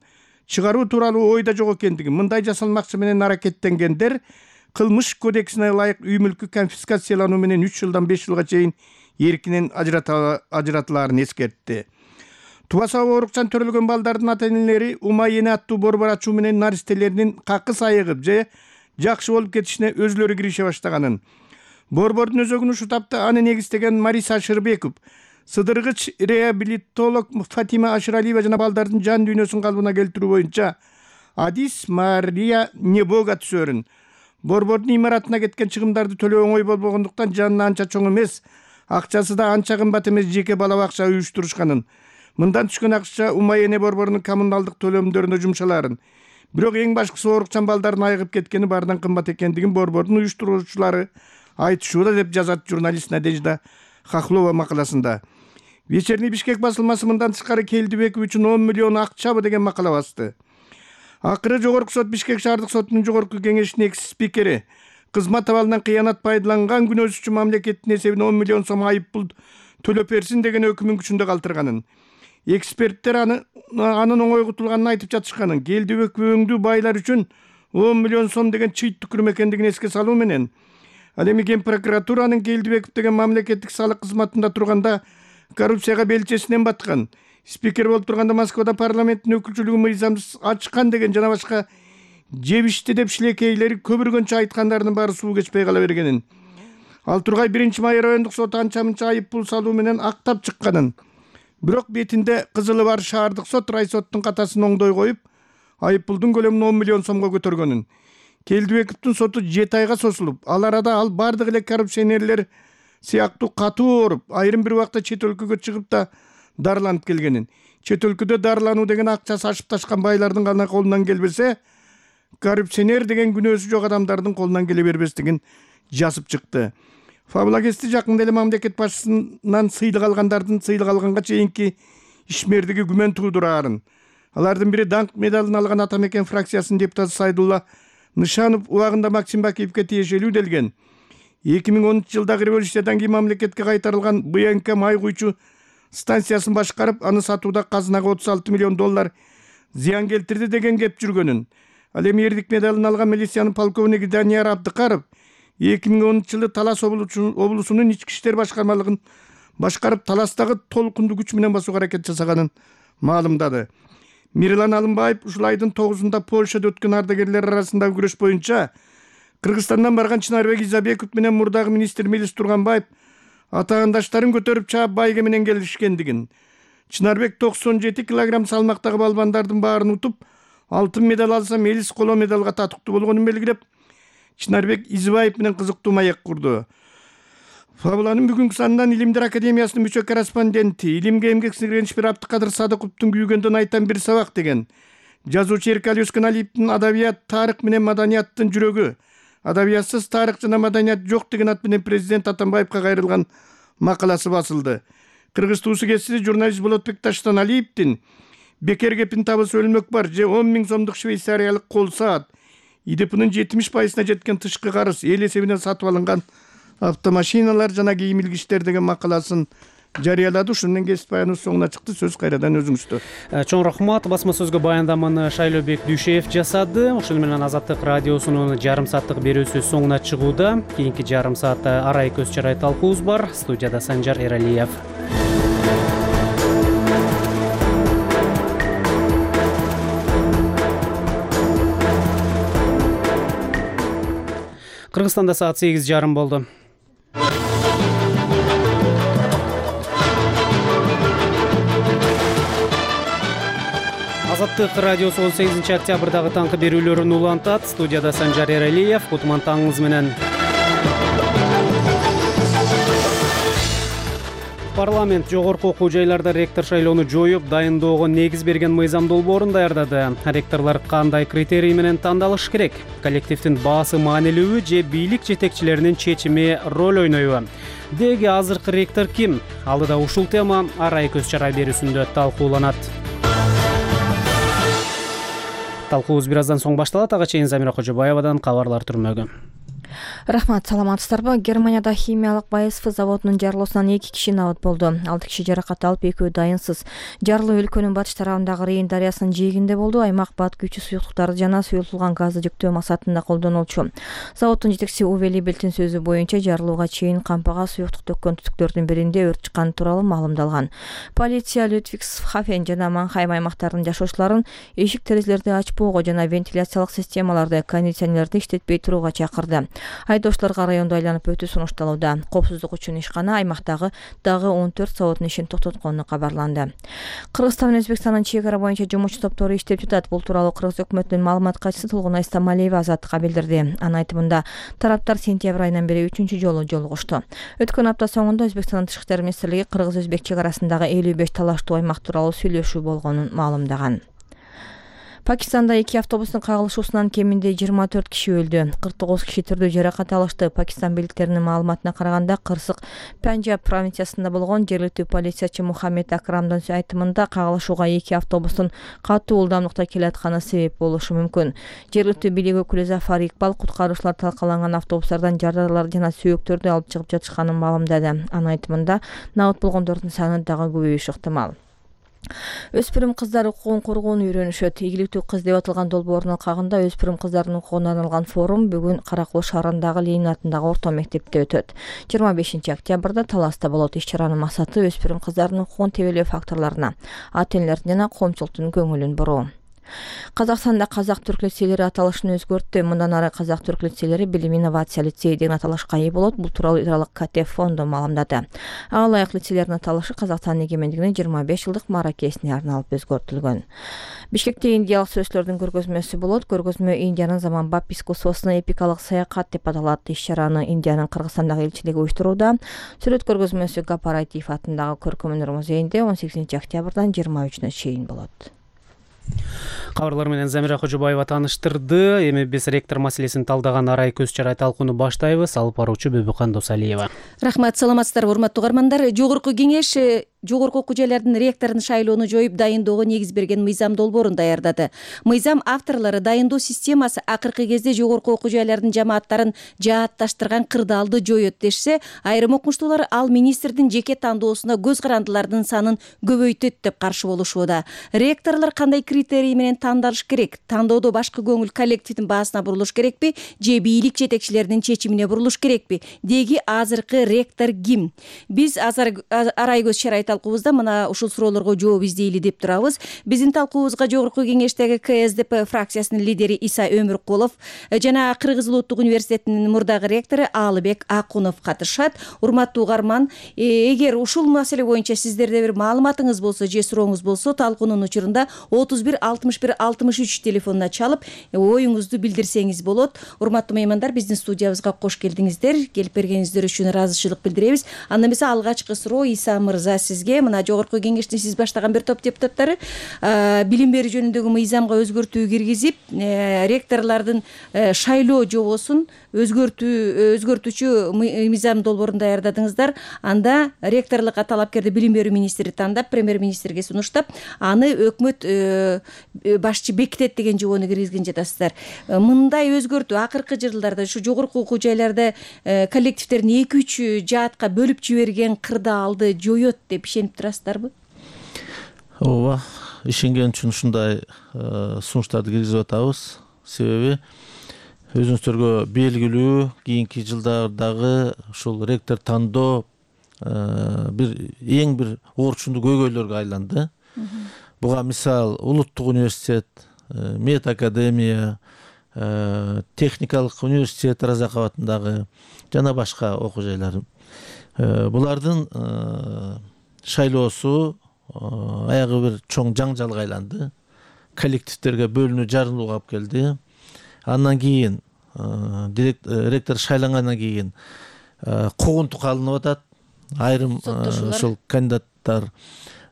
чыгаруу тууралуу ойда жок экендигин, мындай жасалмакчы менен аракеттенгендер кылмыш кодексине ылайык үй мүлкү конфискациялануу менен 3 жылдан 5 жылга чейин эркинен ажыратылаарын эскертти. Тубаса оорукчан төрөлгөн балдардын ата-энелери ума эне аттуу борбор ачуу менен наристелеринин какыс айыгып же жакшы болуп кетишине өзүлөрү кирише баштаганын, борбордун өзөгүн ушул тапта аны негиздеген Мариса Ашырбеков, сыдыргыч реабилитолог Фатима Ашыралиева жана балдардын жан дүйнөсүн калыбына келтирүү боюнча Адис Мария Небога түсөрүн. Борбордун имаратына кеткен чыгымдарды төлөө оңой болбогондуктан жанына анча чоң эмес, акчасы да анча кымбат эмес жеке бала бакча уюштурушканын. Мындан түшкөн акча ума эне борборунун коммуналдык төлөмдөрүнө жумшаларын. Бирок эң башкысы оорукчан балдардын айыгып кеткени баарынан кымбат экендигин борбордун уюштуруучулары айтышууда, деп жазат журналист Надежда Хохлова макаласында. Вечерний Бишкек басылмасы мындан тышкары Келдибеков үчүн 10 миллион акчабы деген макала басты. Акыры Жогорку сот Бишкек шаардык сотунун жогорку кеңешинин экс-спикери кызмат абалынан кыянат пайдаланган күнөөсү үчүн мамлекеттин эсебине 10 миллион сом айыппул төлөп берсин деген өкүмүн күчүндө калтырганын. Эксперттер анын оңой кутулганын айтып жатышканын, Келдибеков өңдүү байлар үчүн 10 миллион сом деген чыйт түкүрүм экендигин эске салуу менен, ал эми Ген прокуратуранын Келдибеков деген мамлекеттик салык кызматында турганда коррупцияга белчесинен баткан, спикер болуп турганда Москвада парламенттин өкүлчүлүгү мыйзамсыз ачкан деген жана башка жебишти деп шилекейлери көбүргөнчө айткандарынын баары суу кечпей кала бергенин, ал Тургай 1-майыр райондук соту анча-мынча айыппул салуу менен актап чыкканын, бирок бетинде кызылы бар шаардык сот райсоттун катасын оңдой коюп, айыппулдун көлөмүн 10 миллион сомго көтөргөнүн. Келдибековдун соту 7 айга созулуп, ал арада ал бардык эле коррупционерлер сыяктуу катуу ооруп, айрым бир убакта чет өлкөгө чыгып да дарыланып келгенин. Чет өлкөдө дарылануу деген акчасы ашып ташкан байлардын гана колунан келбесе, коррупционер деген күнөөсү жок адамдардын колунан келе бербестигин жазып чыкты. Фабула кести жакында эле мамлекет башчысынан сыйлык алгандардын сыйлык алганга чейинки ишмердиги күмөн туудураарын. Алардын бири даңк медалын алган Ата Мекен фракциясынын депутаты Сайдулла Нышанов убагында Максим Бакиевке тиешелүү делген. 2010 жылдагы революциядан кийин мамлекетке кайтарылган БНК май куйчу станциясын башкарып, аны сатууда казынага 36 миллион доллар зыян келтирди деген кеп жүргөнүн. Ал эми эрдик медалын алган милициянын полковниги Данияр Абдыкаров 2010 жылы Талас облусунун ички иштер башкармалыгын башкарып, Таластагы толкунду күч менен басууга аракет жасаганын маалымдады. Мирлан Алымбаев ушул айдын 9-унда Польшада өткөн ардагерлер арасындагы күрөш боюнча Кыргызстандан барган Чынарбек Изабеков менен мурдагы министр Мелис Турганбаев атаандаштарын көтөрүп чаап байге менен келишкендигин. Чынарбек 97 килограмм салмактагы балбандардын баарын утуп, алтын медаль алса, Мелис коло медалга татыктуу болгонун белгилеп, Чынарбек Избаев менен кызыктуу маек курду. Фабуланын бүгүнкү санынан Илимдер академиясынын мүчө корреспонденти, илимге эмгек сиңирген Шпир Абдыкадыр Садыковдун күйгөндөн айтан бир сабак деген жазуучу Эркали Өскөналиевдин адабият, тарых менен маданияттын жүрөгү, адабиятсыз тарых жана маданият жок деген ат менен президент Атамбаевка кайрылган макаласы басылды. Кыргыз туусу кесиси журналист Болотбек Таштаналиевдин бекер кепин табысы өлмөк бар же 10 000 сомдук швейцариялык кол саат, ИДПнын 70%-на жеткен тышкы карыз эл эсебинен сатып алынган автомашиналар жана кийим илгичтер деген макаласын жарыялады. Ушунун менен кесип баяныбыз соңуна чыкты. Сөз кайрадан өзүңүздө. Чоң рахмат. Басма сөзгө баяндаманы Шайлообек Дүйшеев жасады. Ошону менен Азаттык радиосунун жарым сааттык берүүсү соңуна чыгууда. Кийинки жарым саатта арай көз чарай талкуубуз бар. Студияда Санжар Эралиев. Кыргызстанда саат 8:30 болду. Азаттык радиосу 18 октябрдагы таңкы берүүлөрүн улантат. Студияда Санжар Эралиев. Кутман таңыңыз менен. Парламент жогорку окуу жайларда ректор шайлоону жоюп, дайындоого негиз берген мыйзам долбоорун даярдады. Ректорлор кандай критерий менен тандалыш керек? Коллективдин баасы маанилүүбү же бийлик жетекчилеринин чечими роль ойнойбу? Деги азыркы ректор ким? Алдыда ушул тема арай көз чарай берүүсүндө талкууланат. Талкуубуз бир аздан соң башталат. Ага чейин Замира Кожобаевадан кабарлар түрмөгү. Рахмат, саламатсыздарбы? Германияда химиялык БАСФ заводунун жарылуусунан 2 киши набыт болду. 6 киши жаракат алып, 2-өө дайынсыз. Жарылуу өлкөнүн батыш тарабындагы Рейн дарыясынын жээгинде болду. Аймак бат күчү суюктуктарды жана суюлтулган газды жүктөө максатында колдонулчу. Заводдун жетекчиси Уве Либельтин сөзү боюнча, жарылууга чейин кампага суюктук төккөн түтүктөрдүн биринде өрт чыкканы тууралуу маалымдалган. Полиция Людвигсхафен жана Манхайм аймактарынын жашоочуларын эшик терезелерди ачпоого жана вентиляциялык системаларды, кондиционерлерди иштетпей турууга чакырды. Айдоочуларга райондо айланып өтүү сунушталууда. Коопсуздук үчүн ишкана аймактагы дагы 14 заводдун ишин токтоткону кабарланды. Кыргызстан менен Өзбекстандын чек ара боюнча жумушчу топтору иштеп жатат. Бул тууралуу Кыргыз өкмөтүнүн маалымат катчысы Толгунай Стамалиева Азаттыкка билдирди. Анын айтымында, тараптар сентябрь айынан бери 3-чү жолу жолугушту. Өткөн апта соңунда Өзбекстандын Тышкы иштер министрлиги Кыргыз-Өзбек чек арасындагы 55 талаштуу аймак тууралуу сүйлөшүү болгонун маалымдаган. Пакистанда 2 автобустун кагылышуусунан кеминде 24 киши өлдү. 49 киши түрдүү жаракат алышты. Пакистан бийликтеринин маалыматына караганда, кырсык Панджаб провинциясында болгон жергиликтүү полициячы Мухаммед Акрамдын айтымында, кагылышууга 2 автобустун катуу ылдамдыкта келатканы себеп болушу мүмкүн. Жергиликтүү бийлик өкүлү Зафар Икбал куткаруучулар талкаланган автобустардан жардарлар жана сүйөктөрдү алып чыгып жатышканын маалымдады. Анын айтымында, набыт болгондордун саны дагы көбөйүшү ыктымал. Өспүрүм кыздар укугун коргоону үйрөнүшөт. Ийгиликтүү кыз деп аталган долбоордун алкагында өспүрүм кыздардын укугуна арналган форум бүгүн Каракол шаарындагы Ленин атындагы орто мектепте өтөт. 25 октябрда Таласта болот. Иш-чаранын максаты өспүрүм кыздардын укугун тебелөө факторлоруна, ата-энелердин жана коомчулуктун көңүлүн буруу. Казакстанда казак-түрк лицейлери аталышын өзгөрттү. Мындан ары казак-түрк лицейлери билим инновация лицеи деген аталышка ээ болот. Бул тууралуу Иралык КТ фонду маалымдады. Ага ылайык лицейлердин аталышы Казакстандын эгемендигинин 25 жылдык мааракесине арналып өзгөртүлгөн. Бишкекте индиялык сүрөтчүлөрдүн көргөзмөсү болот. Көргөзмө Индиянын заманбап искусствосуна эпикалык саякат деп аталат. Иш-чараны Индиянын Кыргызстандагы элчилиги уюштурууда. Сүрөт көргөзмөсү Гапарайтиев атындагы Көркөмөнөр музейинде 18 октябрдан 23-үнө чейин болот. Кабарлар менен Замира Кожобаева тааныштырды. Эми биз ректор маселесин талдаган арай көз чарай талкууну баштайбыз. Алып баруучу Бөбүкан Досалиева. Рахмат, саламатсыздарбы, урматтуу угармандар. Жогорку кеңеш жогорку окуу жайлардын ректорун шайлоону жоюп, дайындоого негиз берген мыйзам долбоорун даярдады. Мыйзам авторлору дайындоо системасы акыркы кезде жогорку окуу жайлардын жамааттарын жаатташтырган кырдаалды жоет дешсе, айрым окумуштуулар ал министрдин жеке тандоосуна көз карандылардын санын көбөйтөт деп каршы болушууда. Ректорлор кандай критерий менен тандалыш керек? Тандоодо башкы көңүл коллективдин баасына бурулуш керекпи же бийлик жетекчилеринин чечимине бурулуш керекпи? Деги азыркы ректор ким? Биз арай көз чарай талкуубузда мына ушул суроолорго жооп издейли деп турабыз. Биздин талкуубузга жогорку кеңештеги КСДП фракциясынын лидери Иса Өмүркулов жана Кыргыз Улуттук университетинин мурдагы ректору Алыбек Акунов катышат. Урматтуу угарман, эгер ушул маселе боюнча сиздерде бир маалыматыңыз болсо же сурооңуз болсо, талкуунун учурунда 31 61 63 телефонуна чалып оюңузду билдирсеңиз болот. Урматтуу меймандар, биздин студиябызга кош келдиңиздер. Келип бергениңиздер үчүн ыраазычылык билдиребиз. Анда эмесе алгачкы суроо Иса мырза, сиз бизге мына жогорку кеңештин сиз баштаган бир топ депутаттары билим берүү жөнүндөгү мыйзамга өзгөртүү киргизип ректорлордун шайлоо жобосун өзгөртүүчү мыйзам долбоорун даярдадыңыздар. Анда ректорлукка талапкерди билим берүү министри тандап, премьер министрге сунуштап, аны өкмөт башчы бекитет деген жобону киргизген жатасыздар. Мындай өзгөртүү акыркы жылдарда ушу жогорку окуу жайларда коллективдерин 2-3 жаатка бөлүп жиберген кырдаалды жоет деп ишенип турасыздарбы? Ооба, ишенген үчүн ушундай сунуштарды киргизип атабыз. Себеби өзүңүздөргө белгилүү, кийинки жылдардагы ушул ректор тандоо эң бир орчундуу көйгөйлөргө айланды. Буга мисал улуттук университет, мед академия, техникалык университет Разак абатындагы жана башка окуу жайлар. Булардын шайлоосу аягы бир чоң жаңжалга айланды. Коллективдерге бөлүнүү, жарылууга алып келди. Андан кийин ректор шайлангандан кийин куугунтук алынып атат. Айрым ушул кандидаттар,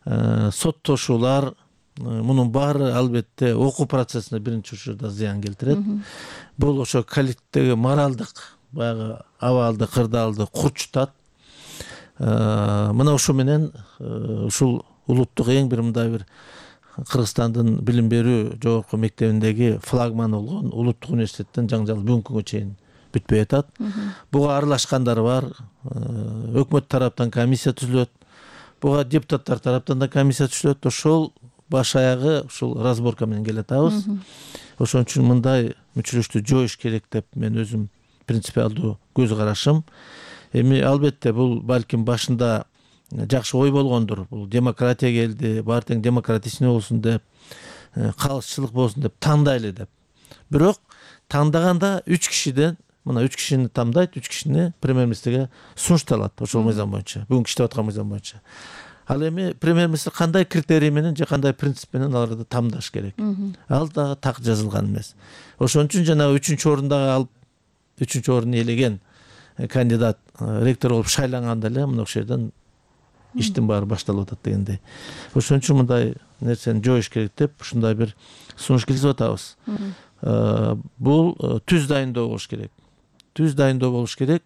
соттошуулар, мунун баары албетте окуу процессине биринчи учурда зыян келтирет. Бул ошо коллективдеги моралдык баягы абалды, кырдаалды курчутат. Мына ушу менен ушул улуттук эң бир мындай бир Кыргызстандын билим берүү жогорку мектебиндеги флагман болгон улуттук университеттин жаңжалы бүгүнкү күнгө чейин бүтпөй атат. Буга аралашкандар бар. Өкмөт тараптан комиссия түзүлөт. Буга депутаттар тараптан да комиссия түзүлөт. Ошол баш аягы ушул разборка менен келатабыз. Ошон үчүн мындай мүчүлүштү жоюш керек деп мен өзүм принципиалдуу көз карашым. Эми албетте бул балким башында жакшы ой болгондур. Бул демократия келди, баары тең демократичный болсун деп, калысчылык болсун деп тандайлы деп. Бирок тандаганда 3 кишиден, мына 3 кишини тандайт, 3 кишини премьер-министрге сунушталат ошол мыйзам боюнча, бүгүнкү иштеп аткан мыйзам боюнча. Ал эми премьер-министр кандай критерий менен же кандай принцип менен аларды тамдаш керек. Ал дагы так жазылган эмес. Ошон үчүн жана 3-орунда алып 3-орунду ээлеген кандидат ректор болуп шайланганда эле мына ошол жерден иштин баары башталып атат дегендей. Ошон үчүн мындай нерсени жоюш керек деп ушундай бир сунуш киргизип атабыз. Бул түз дайындоо болуш керек. Түз дайындоо болуш керек.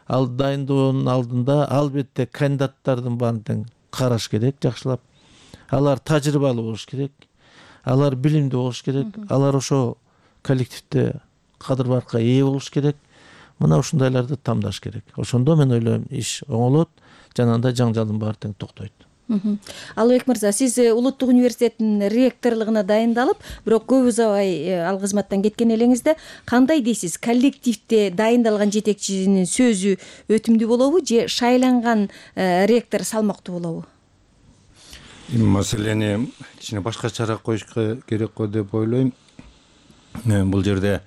Ал дайындоонун алдында албетте кандидаттардын баарын тең караш керек, жакшылап. Алар тажрыйбалуу болуш керек. Алар билимдүү болуш керек. Алар ошо коллективде кадыр-баркка ээ болуш керек. Мына ушундайларды тамдаш керек. Ошондо мен ойлойм иш оңолот, жанагындай жаңжалдын баары тең токтойт. Албек мырза, сиз улуттук университеттин ректорлугуна дайындалып, бирок көп узабай ал кызматтан кеткен элеңизде кандай дейсиз? Коллективде дайындалган жетекчинин сөзү өтүмдүү болобу же шайланган ректор салмактуу болобу? Маселени кичине башкачараак коюш керек го деп ойлойм. Бул жерде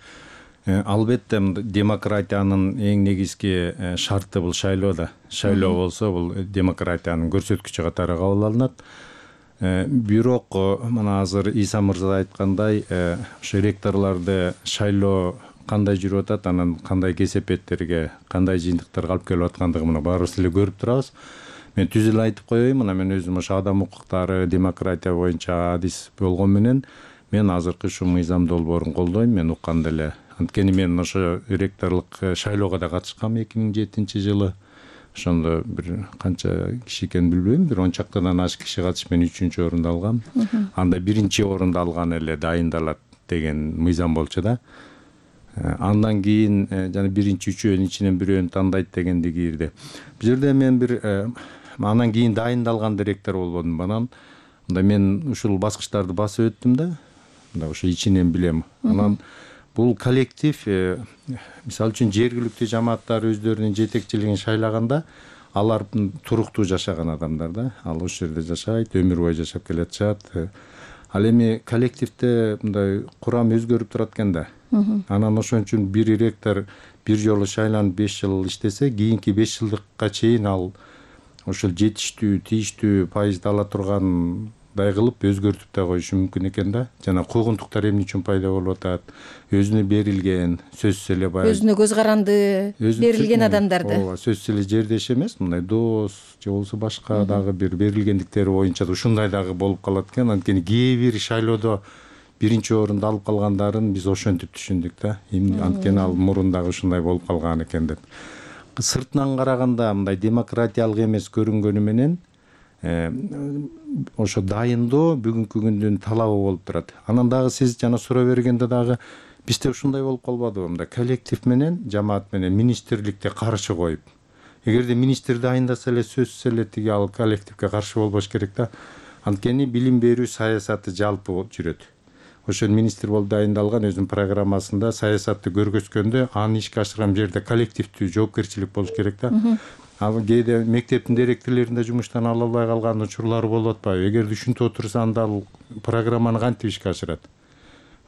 албетте демократиянын эң негизги шарты бул шайлоо да. Шайлоо болсо бул демократиянын көрсөткүчү катары кабыл алынат. Бирок мына азыр Иса мырза айткандай, ошо ректорлорду шайлоо кандай жүрүп атат, анан кандай кесепеттерге, кандай жыйынтыктарга алып келип аткандыгын мына баарыбыз эле көрүп турабыз. Мен түз эле айтып коеюн, мына мен өзүм ошо адам укуктары, демократия боюнча адис болгон менен мен азыркы ушу мыйзам долбоорун колдойм. Мен укканда эле анткени мен ошо ректорлук шайлоого да катышкам 2007-жылы. Ошондо бир канча киши экенин билбейм, бир 10 чактадан ашык киши катышып мен 3-орунду алгам. Анда 1-орунду алган эле дайындалат деген мыйзам болчу да. Андан кийин жана 1-3-өөнүн ичинен бирөөнү тандайт дегенди кирди. Бул жерде мен бир андан кийин дайындалган ректор болбодум. Анан мен ушул баскычтарды басып өттүм да. Ошо ичинен билем. Анан бул коллектив, мисалы үчүн жергиликтүү жамааттар өздөрүнүн жетекчилигин шайлаганда, алар туруктуу жашаган адамдар да. Ал ошол жерде жашайт, өмүр бою жашап келатышат. Ал эми коллективде мындай курам өзгөрүп турат экен да. Анан ошон үчүн бир ректор бир жолу шайланып 5 жыл иштесе, кийинки 5 жылдыкка чейин ал ошол жетиштүү, тийиштүү пайызды ала турган жагдай кылып өзгөртүп да коюшу мүмкүн экен да. Жана куугунтуктар эмне үчүн пайда болуп атат? Өзүнө берилген сөзсүз эле баягы өзүнө көз каранды берилген адамдарды ооба сөзсүз эле жердеш эмес, мындай дос же болбосо башка дагы бир берилгендиктери боюнча да ушундай дагы болуп калат экен. Анткени кээ бир шайлоодо биринчи орунду алып калгандарын биз ошентип түшүндүк да. Анткени ал мурун дагы ушундай болуп калган экен деп. Сыртынан караганда мындай демократиялык эмес көрүнгөнү менен ошо дайындоо бүгүнкү күндүн талабы болуп турат. Анан дагы сиз жана суроо бергенде дагы бизде ушундай болуп калбадыбы? Мындай коллектив менен жамаат менен министрликте каршы коюп. Эгерде министр дайындаса эле сөзсүз эле тиги ал коллективге каршы болбош керек да. Анткени билим берүү саясаты жалпы жүрөт. Ошол министр болуп дайындалган өзүнүн программасында саясатты көргөзгөндө аны ишке ашырган жерде коллективдүү жоопкерчилик болуш керек да. Ал кээде мектептин директорлорунда жумуштан ала албай калган учурлар болуп атпайбы? Эгерде ушинтип отурса анда ал программаны кантип ишке ашырат?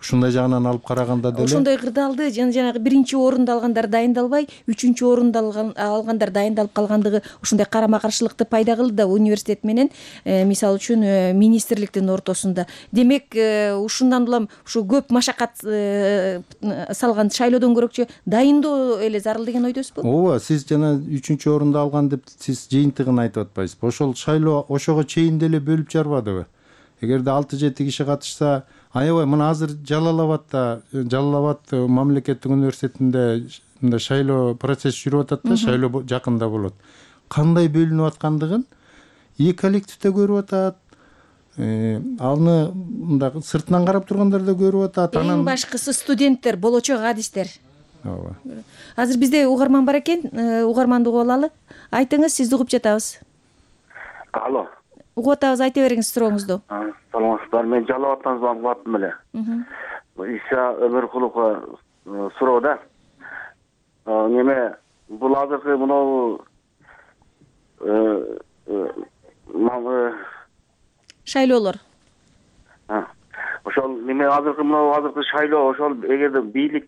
Ушундай жагынан алып караганда деле ошондой кырдаалды жанагы биринчи орунду алгандар дайындалбай, үчүнчү орунду алгандар дайындалып калгандыгы ушундай карама каршылыкты пайда кылды да университет менен мисалы үчүн министрликтин ортосунда. Демек ушундан улам ушу көп машакат салган шайлоодон көрөкчү дайындоо эле зарыл деген ойдосузбу? Ооба, сиз жана үчүнчү орунду алган деп сиз жыйынтыгын айтып атпайсызбы? Ошол шайлоо ошого чейин деле бөлүп жарбадыбы? Эгерде 6-7 киши катышса, аябай мына азыр Жалал Абад мамлекеттик университетинде мындай шайлоо процесси жүрүп атат да, шайлоо жакында болот. Кандай бөлүнүп аткандыгын и коллективде көрүп атат, аны мындай сыртынан карап тургандар да көрүп атат. Эң башкысы студенттер, болочок адистер. Ооба. Азыр бизде угарман бар экен, угарманды угуп алалы. Айтыңыз, сизди угуп жатабыз. Алло. Угуп атабыз, айта бериңиз сурооңузду. Саламатсыздар, мен Жалал Абадтан звонок аттым эле. Иса Өмөркуловго суроо да. Неме бул азыркы мынау шайлоолор. Ошол неме азыркы шайлоо ошол эгерде бийлик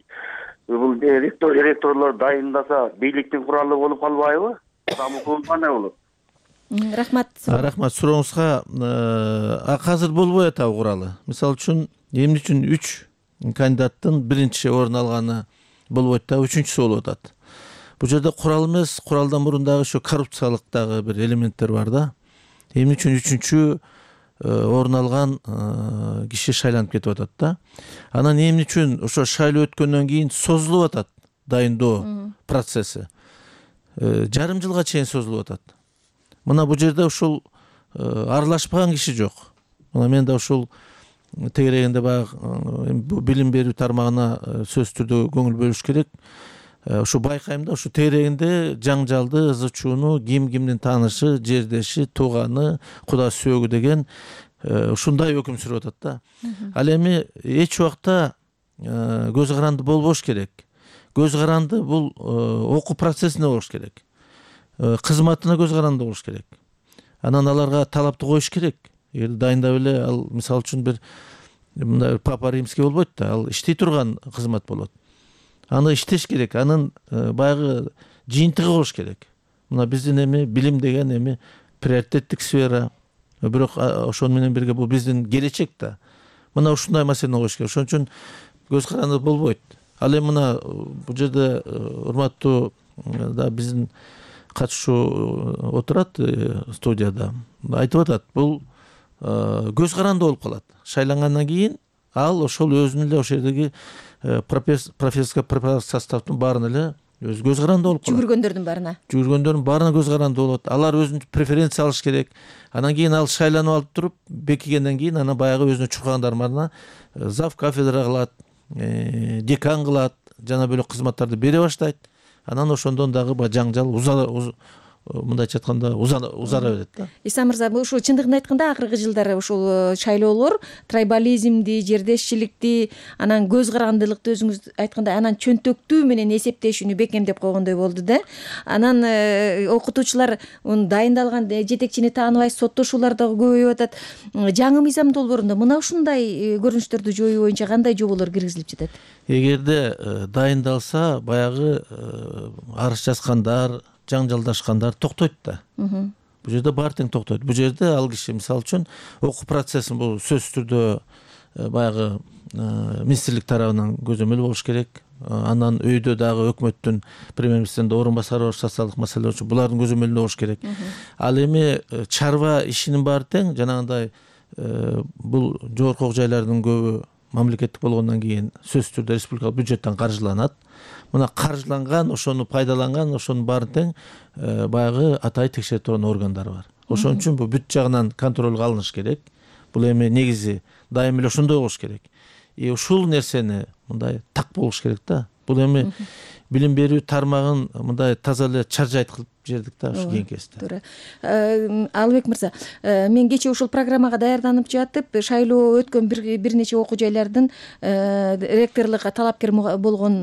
бул ректорлор дайындаса бийликтин куралы болуп калбайбы? Кандай болот? Рахмат. Рахмат сурооңузга. Азыр болбой атабы куралы. Мисалы үчүн эмне үчүн 3 кандидаттын биринчи орун алганы болбойт да, үчүнчүсү болуп атат. Бул жерде курал эмес, куралдан мурун дагы ошо коррупциялык дагы бир элементтер бар да. Эмне үчүн үчүнчү орун алган киши шайланып кетип атат да. Анан эмне үчүн ошо шайлоо өткөндөн кийин созулуп атат дайындоо процесси. Жарым жылга чейин созулуп атат. Мына бул жерде ушул аралашпаган киши жок. Мына мен да ушул тегерегинде баягы билим берүү тармагына сөзсүз түрдө көңүл бөлүш керек. Ушу байкайм да, ушу тегерегинде жаңжалды, ызы чууну, кимдин таанышы, жердеши, тууганы, куда сөөгү деген ушундай өкүм сүрүп атат да. Ал эми эч убакта көз каранды болбош керек. Көз каранды бул окуу процессине болуш керек. Кызматына көз каранды болуш керек. Анан аларга талапты коюш керек. Эгер дайындап эле ал мисалы үчүн бир мындай папа римский болбойт да, ал иштей турган кызмат болот. Аны иштеш керек, анын баягы жыйынтыгы болуш керек. Мына биздин эми билим деген эми приоритеттик сфера, бирок ошону менен бирге бул биздин келечек да. Мына ушундай маселени коюш керек. Ошон үчүн көз каранды болбойт. Ал эми мына бул жерде урматтуу да биздин катышуу отурат студияда. Айтып атат, бул көз каранды болуп калат. Шайлангандан кийин ал ошол өзүнүн эле ошол жердеги профессорско преподавательский составдын баарына эле өзү көз каранды болуп калат. Жүгүргөндөрдүн баарына көз каранды болот. Алар өзүнчө преференция алыш керек. Анан кийин ал шайланып алып туруп, бекигенден кийин анан баягы өзүнө чуркагандар баарына зав кафедра кылат, декан кылат, жана бөлөк кызматтарды бере баштайт. Анан ошондон дагы жаңжал мындайча айтканда узара берет да. Иса мырза, ушул чындыгын айтканда акыркы жылдары ушул шайлоолор трайбализмди, жердешчиликти, анан көз карандылыкты өзүңүз айткандай анан чөнтөктүү менен эсептешүүнү бекемдеп койгондой болду да. Анан окутуучулар дайындалган жетекчини тааныбай соттошуулар дагы көбөйүп атат. Жаңы мыйзам долбоорунда мына ушундай көрүнүштөрдү жоюу боюнча кандай жоболор киргизилип жатат? Эгерде дайындалса, баягы арыз жазгандар, жаңжалдашкандар токтойт да. бул жерде баары тең токтойт. Бул жерде ал киши мисалы үчүн окуу процессин бул сөзсүз түрдө баягы министрлик тарабынан көзөмөл болуш керек. Анан өйдө дагы өкмөттүн премьер-министринин орун басары бар социалдык маселелер үчүн булардын көзөмөлүндө болуш керек. Ал эми чарба ишинин баары тең жанагындай бул жогорку окуу жайлардын көбү мамлекеттик болгондон кийин сөзсүз түрдө республикалык бюджеттен каржыланат. Мына каржыланган, ошону пайдаланган, ошонун баары тең баягы атайын текшерип турган органдар бар. Ошон үчүн бул бүт жагынан контролго алыныш керек. Бул эми негизи дайым эле ошондой болуш керек. Ушул нерсени мындай так болуш керек да. Бул эми билим берүү тармагын мындай таза эле чаржайт кылып жибердик да ушу кийинки кезде. Туура. Алыбек мырза, мен кечээ ушул программага даярданып жатып, шайлоо өткөн бир нече окуу жайлардын ректорлукка талапкер болгон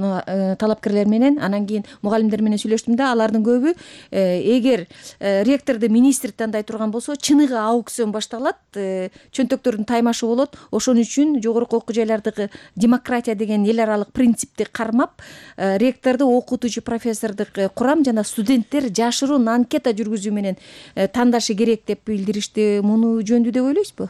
талапкерлер менен, анан кийин мугалимдер менен сүйлөштүм да, алардын көбү эгер ректорду министр тандай турган болсо, чыныгы аукцион башталат, чөнтөктөрдүн таймашы болот. Ошон үчүн жогорку окуу жайлардагы демократия деген эл аралык принципти кармап, ректорду, окутуучу профессордук курам жана студенттер жашыруун анкета жүргүзүү менен тандашы керек деп билдиришти. Муну жөндүү деп ойлойсузбу?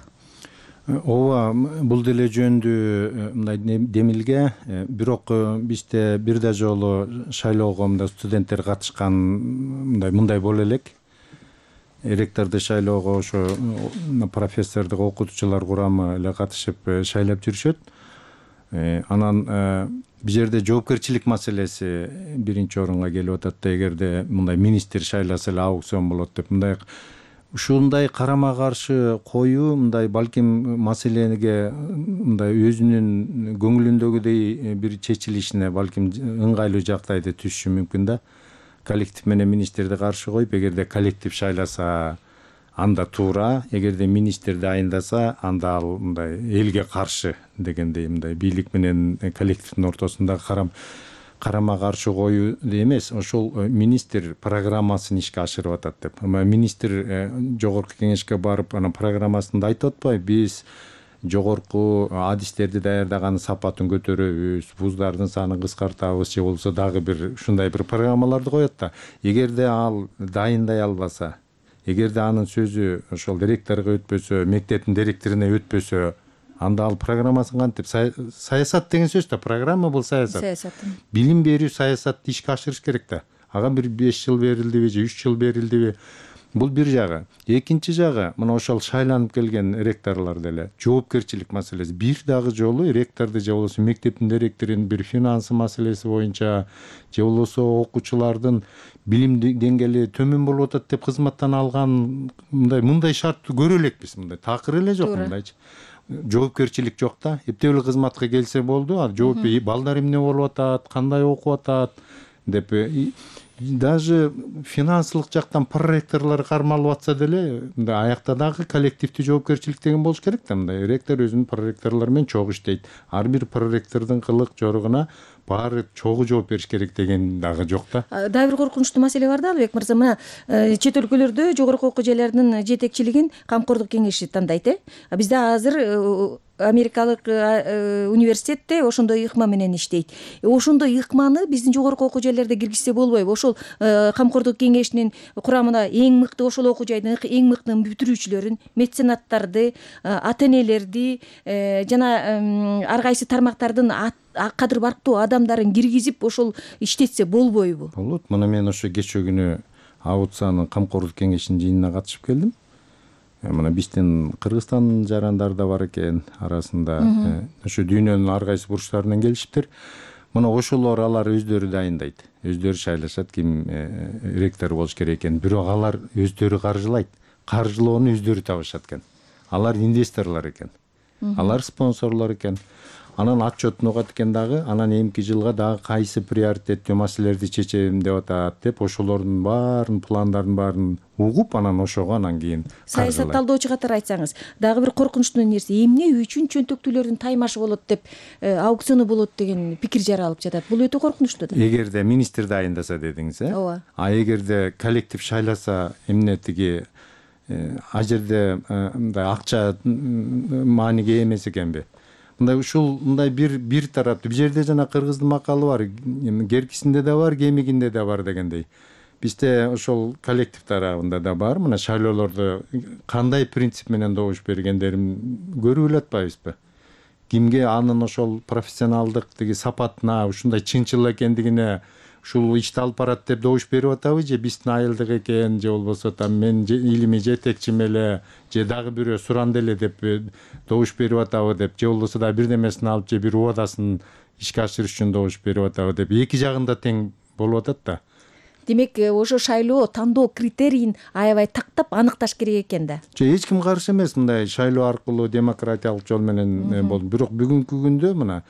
Ооба, бул деле жөндүү мындай демилге. Бирок бизде бир да жолу шайлоого студенттер катышкан мындай боло элек. Ректорду шайлоого ошо профессордук окутуучулар курамы эле катышып шайлап жүрүшөт. Анан бул жерде жоопкерчилик маселеси биринчи орунга келип атат да, эгерде мындай министр шайласа эле аукцион болот деп ушундай карама каршы коюу мындай балким маселеге мындай өзүнүн көңүлүндөгүдөй бир чечилишине балким ыңгайлуу жактайды түшүшү мүмкүн да. Коллектив менен министрди каршы коюп, эгерде коллектив шайласа анда туура, эгерде министрди айындаса анда ал мындай элге каршы дегендей мындай бийлик менен коллективдин ортосунда карама каршы коюу эмес, ошол министр программасын ишке ашырып атат деп. Министр жогорку кеңешке барып анан программасында айтып атпайбы, биз жогорку адистерди даярдаганын сапатын көтөрөбүз, вуздардын санын кыскартабыз, же болбосо дагы бир ушундай бир программаларды коет да. Эгерде ал дайындай албаса, эгерде анын сөзү ошол директорго өтпөсө, мектептин директоруна өтпөсө, анда ал программасын кантип саясат деген сөз да, программа бул саясат. Билим берүү саясатты ишке ашырыш керек да. Ага бир 5 жыл берилдиби же 3 жыл берилдиби? Бул бир жагы. Экинчи жагы, мына ошол шайланып келген ректорлор деле жоопкерчилик маселеси. Бир дагы жолу ректорду же болбосо мектептин директорунун бир финансы маселеси боюнча же болбосо окуучулардын билим деңгээли төмөн болуп атат деп кызматтан алган мындай шартты көрө элекпиз. Мындай такыр эле жок мындайчы. Жоопкерчилик жок да. Эптеп эле кызматка келсе болду. Жооп балдар эмне болуп атат, кандай окуп атат деп даже финансылык жактан проректорлор кармалып атса деле, аякта дагы коллективдүү жоопкерчилик деген болуш керек да. Мындай ректор өзүнүн проректорлору менен чогуу иштейт. Ар бир проректордун кылык жоругуна баары чогуу жооп бериш керек деген дагы жок да. Дагы бир коркунучтуу маселе бар да, Албек мырза. Мына чет өлкөлөрдө жогорку окуу жайлардын жетекчилигин Камкордук кеңеши тандайт. Бизде азыр америкалык университетте ошондой ыкма менен иштейт. Ошондой ыкманы биздин жогорку окуу жайларда киргизсе болбойбу? Ошол Камкордук кеңешинин курамына эң мыкты ошол окуу жайдын эң мыкты бүтүрүүчүлөрүн, меценаттарды, ата энелерди жана ар кайсы тармактардын кадыр барктуу адамдарын киргизип ошол иштетсе болбойбу? Болот. Мына мен ошо кечээ күнү АУЦАнын Камкордук кеңешинин жыйынына катышып келдим. Мына биздин Кыргызстан жарандар да бар экен арасында. Ошо дүйнөнүн ар кайсы бурчтарынан келишиптир. Мына ошолор алар өздөрү дайындайт. Өздөрү шайлашат ким ректор болуш керек экен. Бирок алар өздөрү каржылайт. Каржылоону өздөрү табышат экен. Алар инвесторлор экен. Алар спонсорлор экен. Анан отчетун угат экен дагы, анан эмки жылга дагы кайсы приоритеттүү маселелерди чечем деп атат деп ошолордун баарын пландарын баарын угуп, анан ошого анан кийин саясат талдоочу катары айтсаңыз, дагы бир коркунучтуу нерсе, эмне үчүн чөнтөктүүлөрдүн таймашы болот деп, аукциону болот деген пикир жаралып жатат. Бул өтө коркунучтуу да. Эгерде министрди айындаса дедиңиз, Ооба. А эгерде коллектив шайласа, эмне тиги а жерде мындай акча мааниге эмес экенби? Мындай ушул мындай бир тараптуу. Бул жерде жана кыргыздын макалы бар, геркисинде да бар, кемигинде да бар дегендей. бизде ошол коллектив тарабында да бар. Мына шайлоолорду кандай принцип менен добуш бергендерин көрүп эле атпайбызбы? Кимге анын ошол профессионалдык тиги сапатына, ушундай чынчыл экендигине ушул ишти алып барат деп добуш берип атабы, же биздин айылдык экен, же болбосо там мен илимий жетекчим эле, же дагы бирөө суранды эле деп добуш берип атабы деп, же болбосо да бирдемесин алып, же бир убадасын ишке ашырыш үчүн добуш берип атабы деп, эки жагында тең болуп атат да. Демек ошо шайлоо тандоо критерийин аябай тактап аныкташ керек экен да. Эч ким каршы эмес мындай шайлоо аркылуу демократиялык жол менен болду. Бирок бүгүнкү күндө мына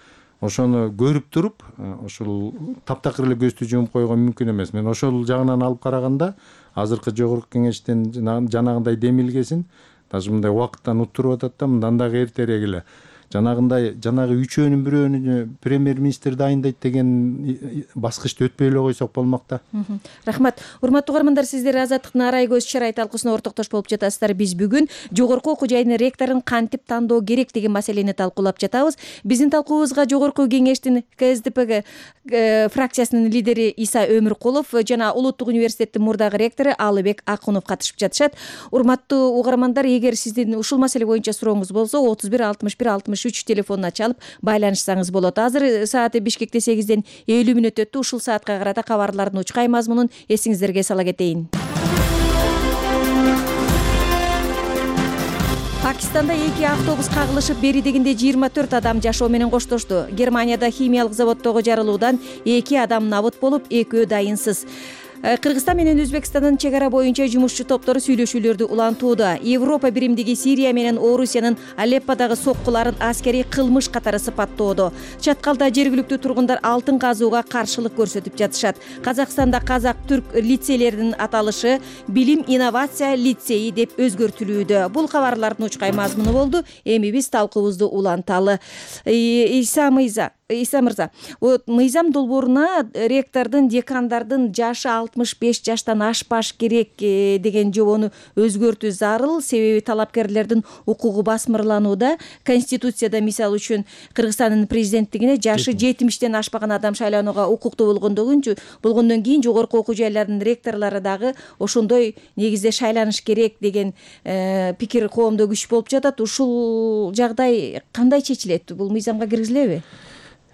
ошону көрүп туруп, ошол таптакыр эле көздү жумуп койгон мүмкүн эмес. Мен ошол жагынан алып караганда азыркы жогорку кеңештен жанагындай демилгесин даже мындай убакыттан уттуруп атат да, мындан дагы эртерээк эле жанагы үчөөнүн бирөөнү премьер-министр дайындайт деген баскычты өтпөй эле койсок болмок да. Рахмат. Урматтуу угармандар, сиздер Азаттыктын арай көз чарай талкуусуна ортоктош болуп жатасыздар. Биз бүгүн жогорку окуу жайынын ректорун кантип тандоо керек деген маселени талкуулап жатабыз. Биздин талкуубузга жогорку кеңештин КСДП фракциясынын лидери Иса Өмүркулов жана Улуттук университеттин мурдагы ректору Алыбек Акунов катышып жатышат. Урматтуу угармандар, эгер сиздин ушул маселе боюнча сурооңуз болсо 31 61 63 телефонуна чалып байланышсаңыз болот. Азыр сааты Бишкекте 8ден 50 мүнөт өттү. Ушул саатка карата кабарлардын учкай мазмунун эсиңиздерге сала кетейин. Пакистанда 2 автобус кагылышып, бери дегенде 24 адам жашоо менен коштошту. Германияда химиялык заводдогу жарылуудан 2 адам набыт болуп, 2 дайынсыз. Кыргызстан менен Өзбекстандын чек ара боюнча жумушчу топтору сүйлөшүүлөрдү улантууда. Европа биримдиги Сирия менен Орусиянын Алепподагы соккуларын аскерий кылмыш катары сыпаттоодо. Чаткалда жергиликтүү тургундар алтын казууга каршылык көрсөтүп жатышат. Казакстанда казак-түрк лицейлеринин аталышы Билим инновация лицейи деп өзгөртүлүүдө. Бул кабарлардын учкай мазмуну болду. Эми биз талкуубузду уланталы. Иса мырза, мыйзам долбооруна ректордун, декандардын жашы 65 жаштан ашпаш керек деген жобону өзгөртүү зарыл, себеби талапкерлердин укугу басмырланууда. Конституцияда мисалы үчүн Кыргызстандын президенттигине жашы 70тен ашпаган адам шайланууга укуктуу болгондон кийин жогорку окуу жайлардын ректорлору дагы ошондой негизде шайланыш керек деген пикир коомдо күч болуп жатат. Ушул жагдай кандай чечилет? Бул мыйзамга киргизилеби?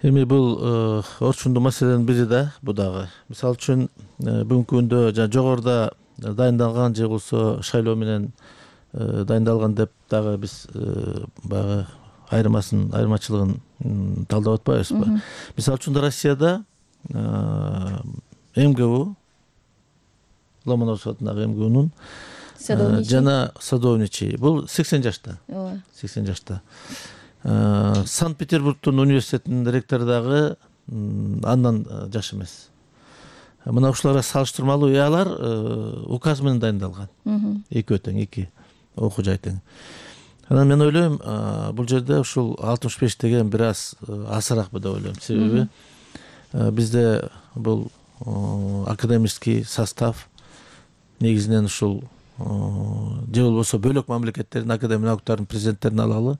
Эми бул орчундуу маселенин бири да, бу дагы. Мисалы үчүн бүгүнкү күндө жогоруда дайындалган же болбосо шайлоо менен дайындалган деп дагы биз баягы айырмачылыгын талдап атпайбызбы? Мисалы үчүн Россияда МГУ, Ломоносов атындагы МГУнун жана садовничий, бул 80 жашта. 80 жашта. Санкт-Петербургтун университетинин ректору дагы андан жаш эмес. Мына ушуларга салыштырмалуу алар указ менен дайындалган. Экөө тең, эки окуу жай тең. Анан мен ойлойм, бул жерде ушул 65 деген бир аз азыраакпы деп ойлойм. Себеби бизде бул академический состав негизинен ушул же болбосо бөлөк мамлекеттердин академия науктарынын президенттерин алалы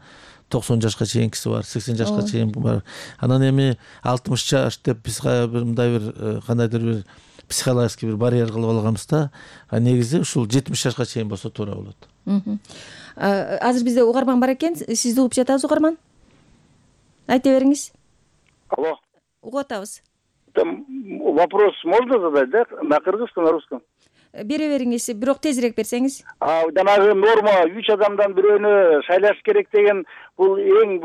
90 жашка чейинкиси бар, 80 жашка чейин бар. Анан эми 60 жаш деп биз мындай бир кандайдыр бир психологический бир барьер кылып алганбыз да. Негизи ушул 70 жашка чейин болсо туура болот. Азыр бизде угарман бар экен. Сизди угуп жатабыз, угарман. Айта бериңиз. Алло. Угуп атабыз. Вопрос можно задать, да? На кыргызском, на русском? Бере бериңиз, бирок тезирээк берсеңиз. Жанагы норма 3 адамдан бирөөнү шайлаш керек деген бул эң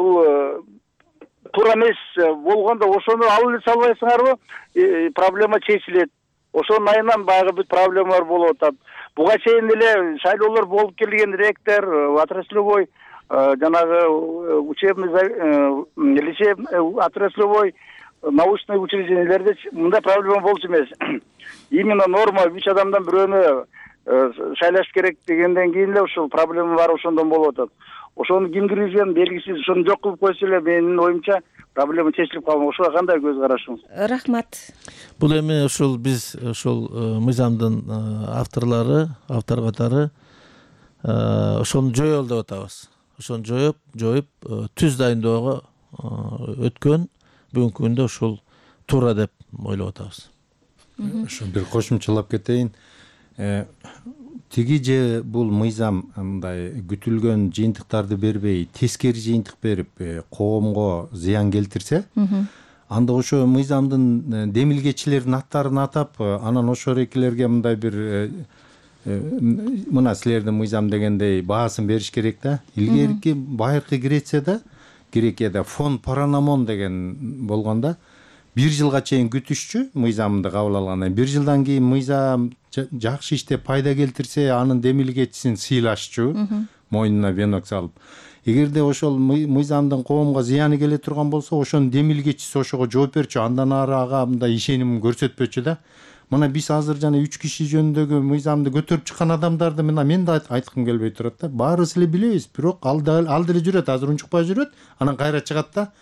туура эмес болгондо ошону алып эле салбайсыңарбы? Проблема чечилет. Ошонун айынан баягы бүт проблемалар болуп атат. Буга чейин эле шайлоолор болуп келген ректор, отраслевой жанагы учебный лицей, отраслевой научный учреждениелерде мындай проблема болчу эмес. Именно норма 3 адамдан бирөөнү шайлаш керек дегенден кийин эле ушул проблема бар, ошондон болуп атат. Ошону ким киргизген белгисиз, ошону жок кылып койсо эле менин оюмча проблема чечилип калган. Ошого кандай көз карашыңыз? Рахмат. Бул эми ушул биз ушул мыйзамдын автор катары ошону жоёл деп атабыз. Ошону жоюп түз дайындоого өткөн бүгүнкү күндө ушул туура деп ойлоп атабыз. Ошо бир кошумчалап кетейин. Тиги же бул мыйзам мындай күтүлгөн жыйынтыктарды бербей, тескери жыйынтык берип, коомго зыян келтирсе, анда ошо мыйзамдын демилгечилердин аттарын атап, анан ошо эркелерге мындай бир мына силердин мыйзам дегендей баасын бериш керек да. Илгерки байыркы Грекияда фон Паранамон деген болгондо 1 жылга чейин күтүшчү мыйзамды кабыл алгандан. 1 жылдан кийин мыйзам жакшы иштеп пайда келтирсе, анын демилгечисин сыйлашчу, мойнуна венок салып. Эгерде ошол мыйзамдын коомго зыяны келе турган болсо, ошонун демилгечиси ошого жооп берчү, андан ары ага мындай ишенимин көрсөтпөчү да. Мына биз азыр жана 3 киши жөнүндөгү мыйзамды көтөрүп чыккан адамдарды мен да айткым келбей турат да. Баарыбыз эле билебиз, бирок ал деле жүрөт, азыр унчукпай жүрөт, анан кайра чыгат да.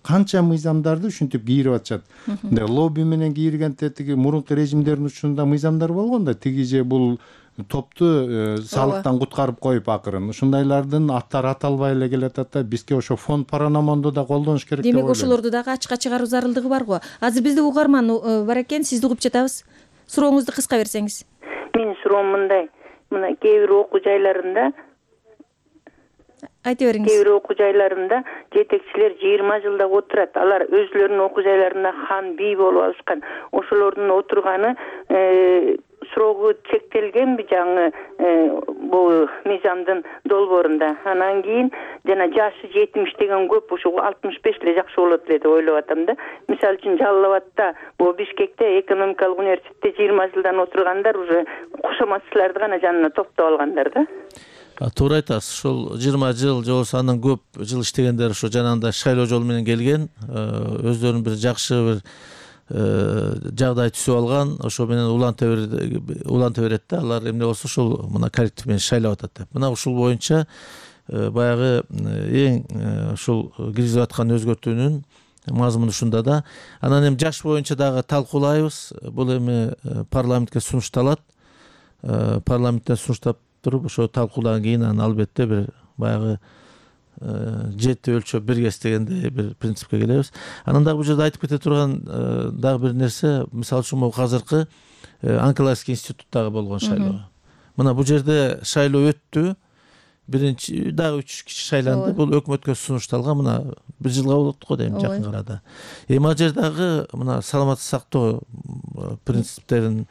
Канча мыйзамдарды ушинтип кийирип атышат. Лобби менен кийиргенде тиги мурунку режимдердин учурунда мыйзамдар болгон да. Тиги же бул топту салыктан куткарып коюп акырын. Ушундайлардын аттары аталбай эле келатат да. Бизге ошо фон Паранамонду да колдонуш керек деп ойлойм. Демек ошолорду дагы ачыкка чыгаруу зарылдыгы бар го. Азыр бизде угарман бар экен, сизди угуп жатабыз. Сурооңузду кыска берсеңиз. Менин суроом мындай. Мына кээ бир окуу жайларында айта бериңиз. Кээ бир окуу жайларында жетекчилер 20 жылда отурат. Алар өзлөрүнүн окуу жайларында хан, бий болуп алышкан. Ошолордун отурганы срогу чектелгенби жаңы бул мыйзамдын долбоорунда. Анан кийин жана жашы 70 деген көп, ошо 65 эле жакшы болот эле деп ойлоп атам да. Мисалы үчүн Жалал Абадта, бул Бишкекте экономикалык университетте 20 жылдан отургандар уже кошоматчыларды гана жанына топтоп алгандар да. Туура айтасыз. Ошол 20 жыл же болсо андан көп жыл иштегендер ошо жанагындай шайлоо жолу менен келген, өздөрүнүн бир жакшы бир жагдай түзүп алган, ошо менен уланта берет да. Алар эмне болсо ошол мына коллектив менен шайлап атат деп. Мына ушул боюнча баягы эң ушул киргизип аткан өзгөртүүнүн мазмуну ушунда да. Анан эми жаш боюнча дагы талкуулайбыз. Бул эми парламентке сунушталат. Парламенттен сунуштап туруп ошо талкуудан кийин анан албетте бир баягы жети өлчөп биргес дегендей бир принципке келебиз. Анан дагы бул жерде айтып кете турган дагы бир нерсе, мисалы үчүн могу азыркы онкологический институттагы болгон шайлоо. Мына бул жерде шайлоо өттү. Биринчи дагы 3 киши шайланды. Бул өкмөткө сунушталган, мына 1 жылга болот го дейм жакын арада. Эми ал жердагы мына саламаттык сактоо принциптерин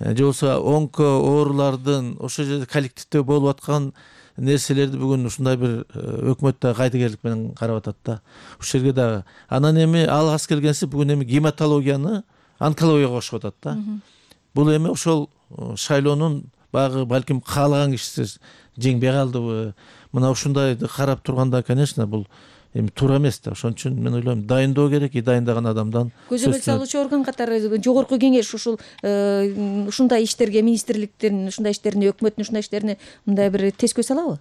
же болбосо онко оорулардын ошол жерде коллективде болуп аткан нерселерди бүгүн ушундай бир өкмөт да кайдыгерлик менен карап атат да. Ушул жерге дагы анан эми ал аз келгенси бүгүн эми гематологияны онкологияга кошуп атат да. Бул эми ошол шайлоонун баягы балким каалаган кишиси жеңбей калдыбы, мына ушундайды карап турганда, конечно, бул эми туура эмес да. Ошон үчүн мен ойлойм, дайындоо керек, дайындаган адамдан көзөмөл салуучу орган катары жогорку кеңеш ушул ушундай иштерге, министрликтердин ушундай иштерине, өкмөттүн ушундай иштерине мындай бир тез көз салабы?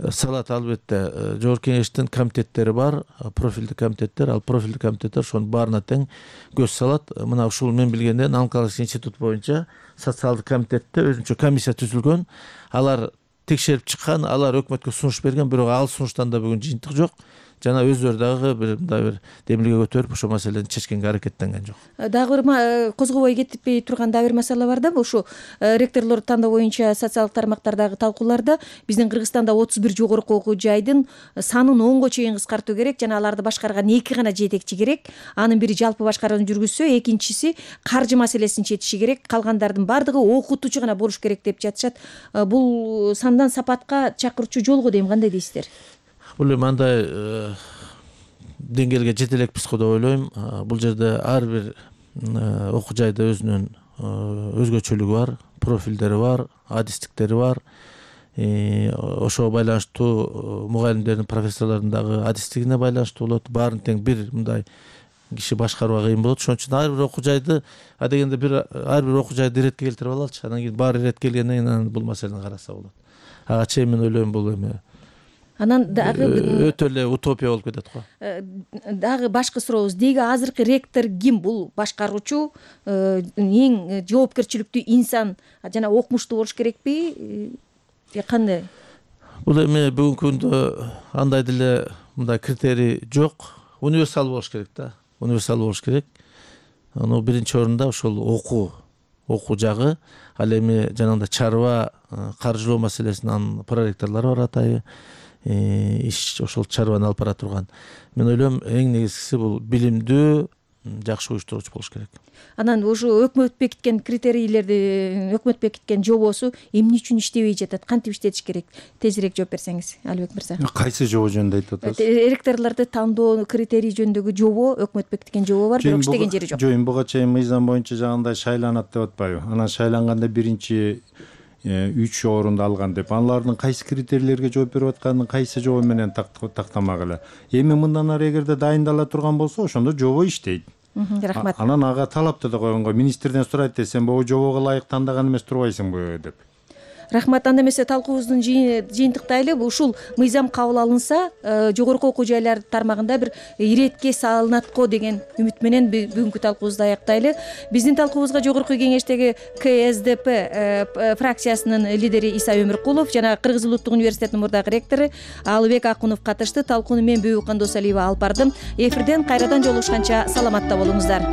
Салат, албетте. Жогорку кеңештин комитеттери бар, профилдик комитеттер, ал профилдик комитеттер ошонун баарына тең көз салат. Мына ушул мен билгенден онкологический институт боюнча социалдык комитетте өзүнчө комиссия түзүлгөн. Алар текшерип чыккан, алар өкмөткө сунуш берген, бирок ал сунуштан да бүгүн жыйынтык жок. Жана өздөрү дагы мындай бир демилге көтөрүп ошол маселени чечкенге аракеттенген жок. Дагы бир козгобой кетпей турган дагы бир маселе бар да. Ушу ректорлор тандоо боюнча социалдык тармактардагы талкууларда биздин Кыргызстанда 31 жогорку окуу жайдын санын 10го чейин кыскартуу керек, жана аларды башкарган 2 гана жетекчи керек. Анын бири жалпы башкарууну жүргүзсө, экинчиси каржы маселесин чечиши керек. Калгандардын бардыгы окутуучу гана болуш керек деп жатышат. Бул сандан сапатка чакыруучу жолго дейм, кандай дейсиздер? Бул эми андай деңгээлге жете элекпиз го деп ойлойм. Бул жерде ар бир окуу жайда өзүнүн өзгөчөлүгү бар, профилдери бар, адистиктери бар. Ошого байланыштуу мугалимдердин, профессорлордун дагы адистигине байланыштуу болот. Баарын тең бир мындай киши башкарууга кыйын болот. Ошон үчүн ар бир окуу жайды адегенде ар бир окуу жайды иретке келтирип алалычы. Анан кийин баары ирет келгенден кийин бул маселени караса болот. Ага чейин мен ойлойм бул эми анан дагы өтө эле утопия болуп кетет го. Дагы башкы сурообуз, деги азыркы ректор ким? Бул башкаруучу, эң жоопкерчиликтүү инсан жана окумуштуу болуш керекпи? Кандай? Бул эми бүгүнкү күндө андай деле мындай критерий жок. Универсал болуш керек да. Универсал болуш керек. биринчи орунда ошол окуу жагы, ал эми жанагындай чарба каржылоо маселесинин анын проректорлору бар атайы иш ошол чарбаны алып бара турган. Мен ойлойм эң негизгиси бул билимдүү, жакшы уюштуруучу болуш керек. Анан ушу өкмөт бекиткен критерийлерди, өкмөт бекиткен жобосу эмне үчүн иштебей жатат, кантип иштетиш керек? Тезирээк жооп берсеңиз, Алибек мырза. Кайсы жобо жөнүндө айтып атасыз? Ректорлорду тандоо критерий жөнүндөгү жобо, өкмөт бекиткен жобо бар, бирок иштеген жери жок. Жок, буга чейин мыйзам боюнча жагандай шайланат деп атпайбы? Анан шайланганда биринчи 3 орунду алган деп, алардын кайсы критерийлерге жооп берип атканын кайсы жобо менен тактамак эле. Эми мындан ары эгерде дайындала турган болсо, ошондо жобо иштейт. Рахмат. Анан ага талапты да койгонго, министрден сурайт десем, бул жобого ылайык тандаган эмес турбайсыңбы деп. Рахмат. Анда эмесе талкуубуздун жыйынтыктайлы. Ушул мыйзам кабыл алынса, жогорку окуу жайлар тармагында бир иретке салынат го деген үмүт менен бүгүнкү талкуубузду аяктайлы. Биздин талкуубузга жогорку кеңештеги КСДП фракциясынын лидери Иса Өмүркулов жана Кыргыз Улуттук университетинин мурдагы ректору Алыбек Акунов катышты. Талкууну мен Бүбү Кандосалиева алып бардым. Эфирден кайрадан жолугушканча саламатта болуңуздар.